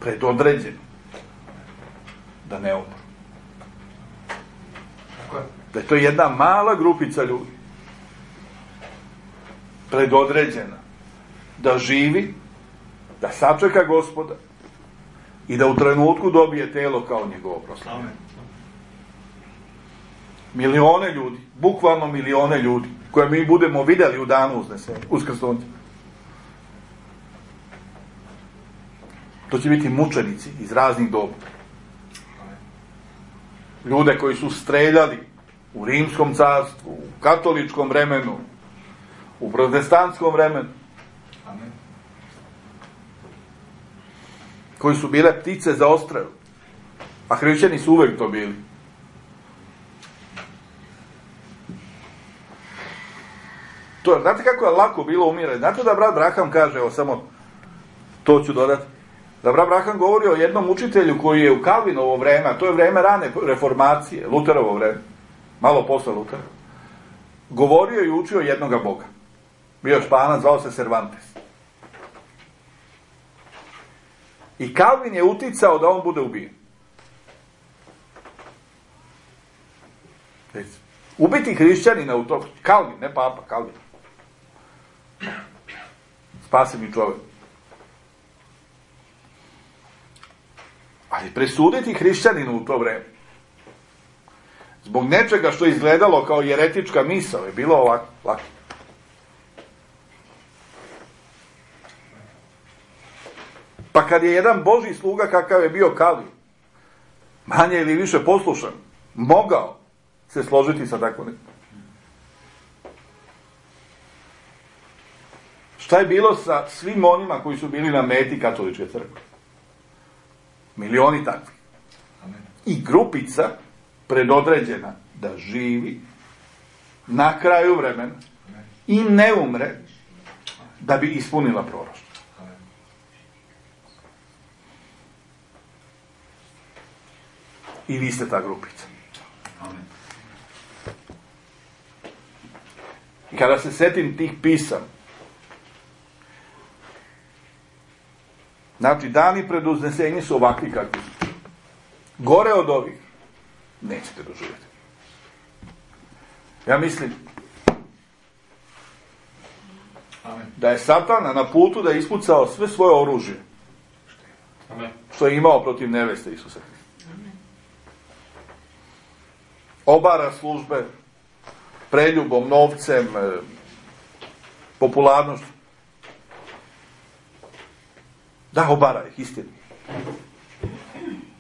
predodređeni da ne umru. Da je to jedna mala grupica ljudi predodređena da živi, da sačeka Gospoda i da u trenutku dobije telo kao njegovo proslavljenje. Milione ljudi, bukvalno milione ljudi, koje mi budemo vidjeli u danu uskrsnuća. To će biti mučenici iz raznih doba. Ljude koji su streljali u rimskom carstvu, u katoličkom vremenu, u protestantskom vremenu. Koji su bile ptice za odstrel. A hrišćani su uvijek to bili. To, znate kako je lako bilo umirati? Znate da brat Braham kaže, evo samo to ću dodati, da brat Braham govori o jednom učitelju koji je u Kalvinovo vreme, a to je vreme rane reformacije, Luterovo vreme, malo posle Lutera, govorio i učio jednoga Boga. Bio Španac, zvao se Cervantes. I Kalvin je uticao da on bude ubijen. Ubiti hrišćanina u to, Kalvin, ne papa, Kalvin. Spaseni čovjek. Ali presuditi hrišćaninu u to vreme, zbog nečega što je izgledalo kao jeretička misao, je bilo ovako, lako. Pa kad je jedan Božji sluga, kakav je bio Kalvin, manje ili više poslušan, mogao se složiti sa takvom nekom. Šta je bilo sa svim onima koji su bili na meti katoličke crkve? Milioni takvi. I grupica predodređena da živi na kraju vremena i ne umre da bi ispunila proroštvo. I vi ste ta grupica. I kada se setim tih pisama, znači dani pred uznesenje su ovakvi kakvi su. Gore od ovih nećete doživjeti. Ja mislim Amen. da je Satana na putu da je ispucao sve svoje oružje Amen. što je imao protiv neveste Isusa Hrista. Obara službe preljubom, novcem, popularnošću. Da, obara ih, istinu.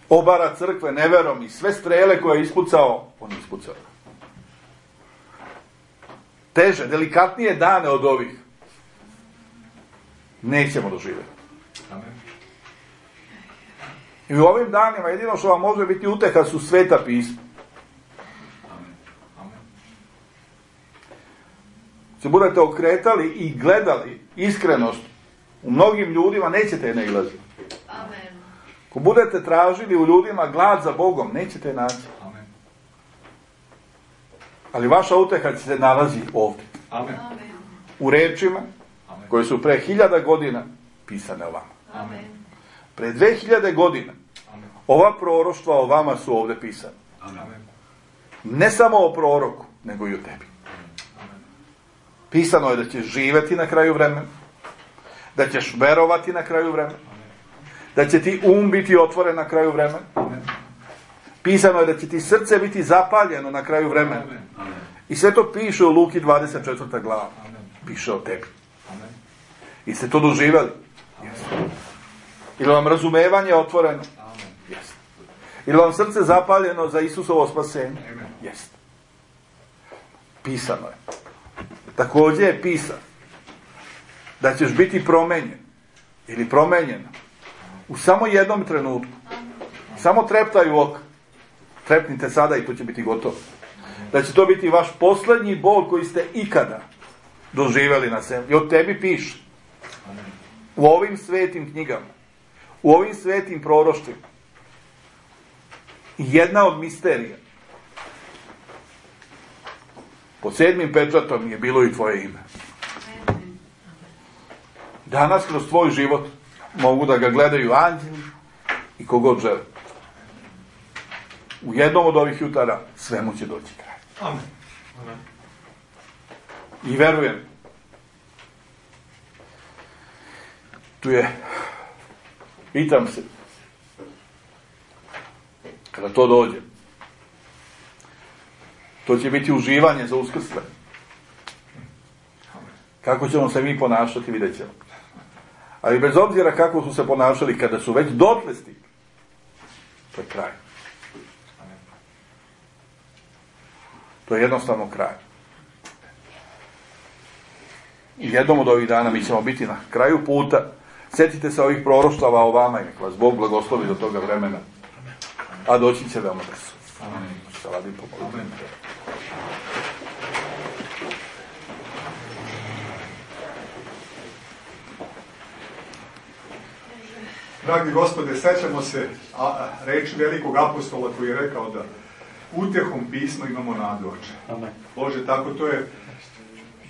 Obara crkve neverom i sve strele koje je ispucao, on je ispucao. Teže, delikatnije dane od ovih nećemo doživjeti. Amen. I u ovim danima jedino što vam može biti uteha su sveta pisma. Se budete okretali i gledali iskrenost u mnogim ljudima, nećete je nailaziti. Amen. Ako budete tražili u ljudima glad za Bogom, nećete je naći. Amen. Ali vaša uteha se nalazi ovdje. Amen. U rečima Amen. koje su pre hiljada godina pisane o vama. Amen. Pre dve hiljade godina Amen. ova proroštva o vama su ovdje pisane. Amen. Ne samo o proroku, nego i o tebi. Pisano je da ćeš živjeti na kraju vremena, da ćeš verovati na kraju vremena, da će ti um biti otvoren na kraju vremena. Pisano je da će ti srce biti zapaljeno na kraju vremena. I sve to piše u Luki dvadeset četvrta glava. Piše o tebi. I ste to doživjeli? Jeste. Ili vam razumevanje otvoreno? Jeste. Ili vam srce zapaljeno za Isusovo spasenje? Jeste. Pisano je. Također je pisano da ćeš biti promenjen ili promenjena u samo jednom trenutku. Samo treptaju oka. Trepnite sada i to će biti gotovo. Da će to biti vaš posljednji bol koji ste ikada doživjeli na sebi. I od tebi piše. U ovim svetim knjigama, u ovim svetim proroštvima, jedna od misterija. Pod sedmim pečatom je bilo i tvoje ime. Danas kroz tvoj život mogu da ga gledaju anđeli i kogod žele. U jednom od ovih jutara svemu će doći kraj. Amen. Amen. I verujem, tu je, pitam se, kada to dođe, to će biti uživanje za uskrsle. Kako ćemo se mi ponašati, vidjet ćemo. Ali bez obzira kako su se ponašali, kada su već dotle stigli, to je kraj. To je jednostavno kraj. I jednom od ovih dana mi ćemo biti na kraju puta. Sjetite se ovih proroštava o vama i nek vas Bog blagoslovi do toga vremena. A doći će veoma brzo. Amen. Šta radim pomoći. Dragi Gospode, sećamo se a, a, reči velikog apostola koji je rekao da utehom pisma imamo nadu, Oče. Amen. Bože, tako to je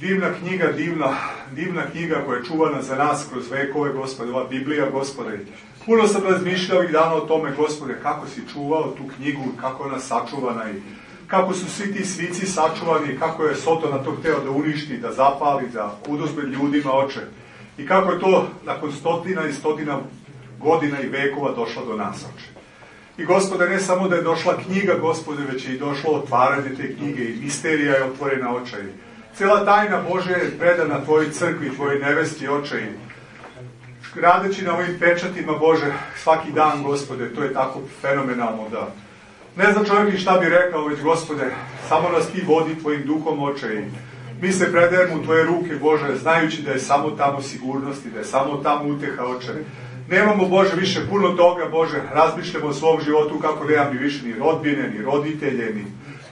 divna knjiga, divna, divna knjiga koja je čuvana za nas kroz vekove, Gospode, ova Biblija, Gospode. Puno sam razmišljao ovih dana o tome, Gospode, kako si čuvao tu knjigu, kako je ona sačuvana i kako su svi ti svici sačuvani, kako je Sotona to hteo da uništi, da zapali, da oduzme ljudima, Oče. I kako je to nakon stotina i stotina godina i vekova došlo do nas, Oče. I Gospode, ne samo da je došla knjiga, Gospode, već je i došlo otvaranje te knjige i misterija je otvorena, Oče. I cijela tajna Božja je predana Tvojoj crkvi, Tvojoj nevesti, Oče. I radeći na ovim pečatima, Bože, svaki dan, Gospode, to je tako fenomenalno da ne zna čovjek i šta bi rekao, već, Gospode, samo nas Ti vodi Tvojim duhom, Oče. I mi se predajemo u Tvoje ruke, Bože, znajući da je samo tamo sigurnost i da je samo tamo uteha, Oče. Nemamo, Bože, više puno toga, Bože, razmišljamo o svom životu kako nemam ni više ni rodbine, ni roditelje, ni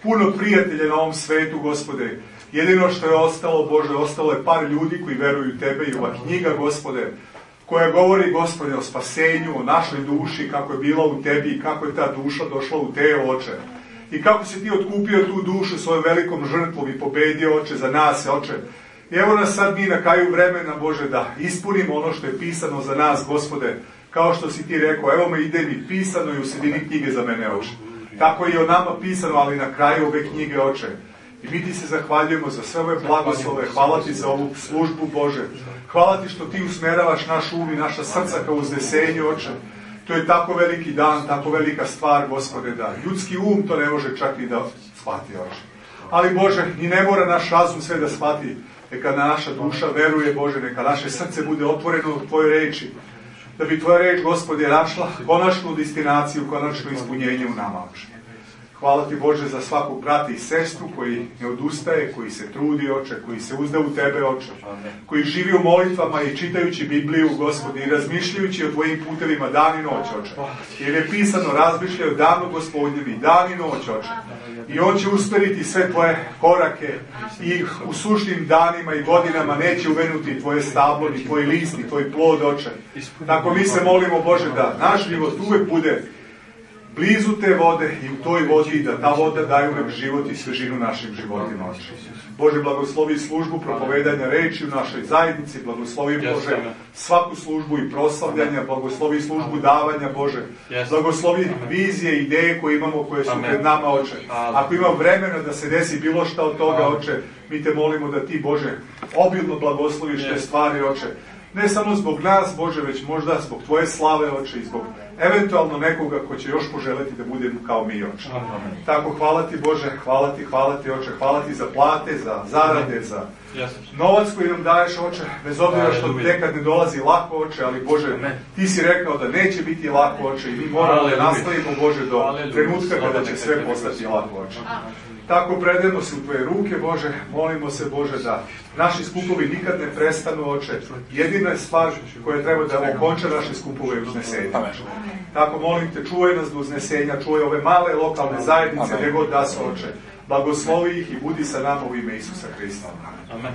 puno prijatelje na ovom svetu, Gospode. Jedino što je ostalo, Bože, ostalo je par ljudi koji veruju u Tebe i ova knjiga, Gospode, koja govori, Gospode, o spasenju, o našoj duši, kako je bila u Tebi i kako je ta duša došla u Te, Oče. I kako si Ti otkupio tu dušu svojom velikom žrtvom i pobedio, Oče, za nas, Oče. I evo nas sad mi na kraju vremena, Bože, da ispunimo ono što je pisano za nas, Gospode, kao što si Ti rekao, evo me ide mi pisano i u sredini knjige za mene, Oče. Tako je i o nama pisano, ali na kraju ove knjige, Oče. I mi Ti se zahvaljujemo za sve ove blagoslove, hvala Ti za ovu službu, Bože. Hvala Ti što Ti usmeravaš naš um i naša srca kao uznesenje, Oče. To je tako veliki dan, tako velika stvar, Gospode, da ljudski um to ne može čak i da shvati, Oče. Ali, Bože, ni ne mora naš razum sve da shvati. Neka naša duša veruje, Bože, neka naše srce bude otvoreno u Tvojoj reči, da bi Tvoja reč, Gospode, našla konačnu destinaciju, konačno ispunjenje u nama, Oče. Hvala Ti, Bože, za svakog brata i sestru koji ne odustaje, koji se trudi, Oče, koji se uzda u Tebe, Oče, koji živi u molitvama i čitajući Bibliju, Gospode, i razmišljajući o Tvojim putevima dan i noć, Oče. Jer je pisano, razmišljaju danu Gospodnjem i dan i noć, Oče. I On će usmeriti sve Tvoje korake i u sušnim danima i godinama neće uvenuti Tvoje stablo, ni Tvoj list, ni Tvoj plod, Oče. Tako mi se molimo, Bože, da naš život uvek bude blizu te vode i u toj vodi da ta voda daju nam život i svežinu našim životima, Oče. Bože, blagoslovi službu propovedanja reči u našoj zajednici, blagoslovi, Bože, svaku službu i proslavljanja, blagoslovi službu davanja, Bože, blagoslovi vizije, ideje koje imamo, koje su pred nama, Oče. Ako ima vremena da se desi bilo šta od toga, Oče, mi Te molimo da Ti, Bože, obilno blagosloviš te stvari, Oče. Ne samo zbog nas, Bože, već možda zbog Tvoje slave, Oče, i zbog eventualno nekoga ko će još poželeti da bude kao mi, Oče. Tako, hvala Ti, Bože, hvala Ti, hvala Ti, Oče, hvala Ti za plate, za zarade, za novac koji nam daješ, Oče, bez obzira što nekad ne dolazi lako, Oče, ali, Bože, Ti si rekao da neće biti lako, Oče, i mi moramo da nastavimo, Bože, do trenutka kada će sve postati lako, Oče. Tako predajemo se u Tvoje ruke, Bože, molimo se, Bože, da naši skupovi nikad ne prestanu, Oče. Jedina je stvar koja treba da okonča naše skupove uznesenja. Tako molim Te, čuvaj nas do uznesenja, čuvaj ove male lokalne zajednice, gdje god da su, Oče. Blagoslovi ih i budi sa nama u ime Isusa Hrista. Amen.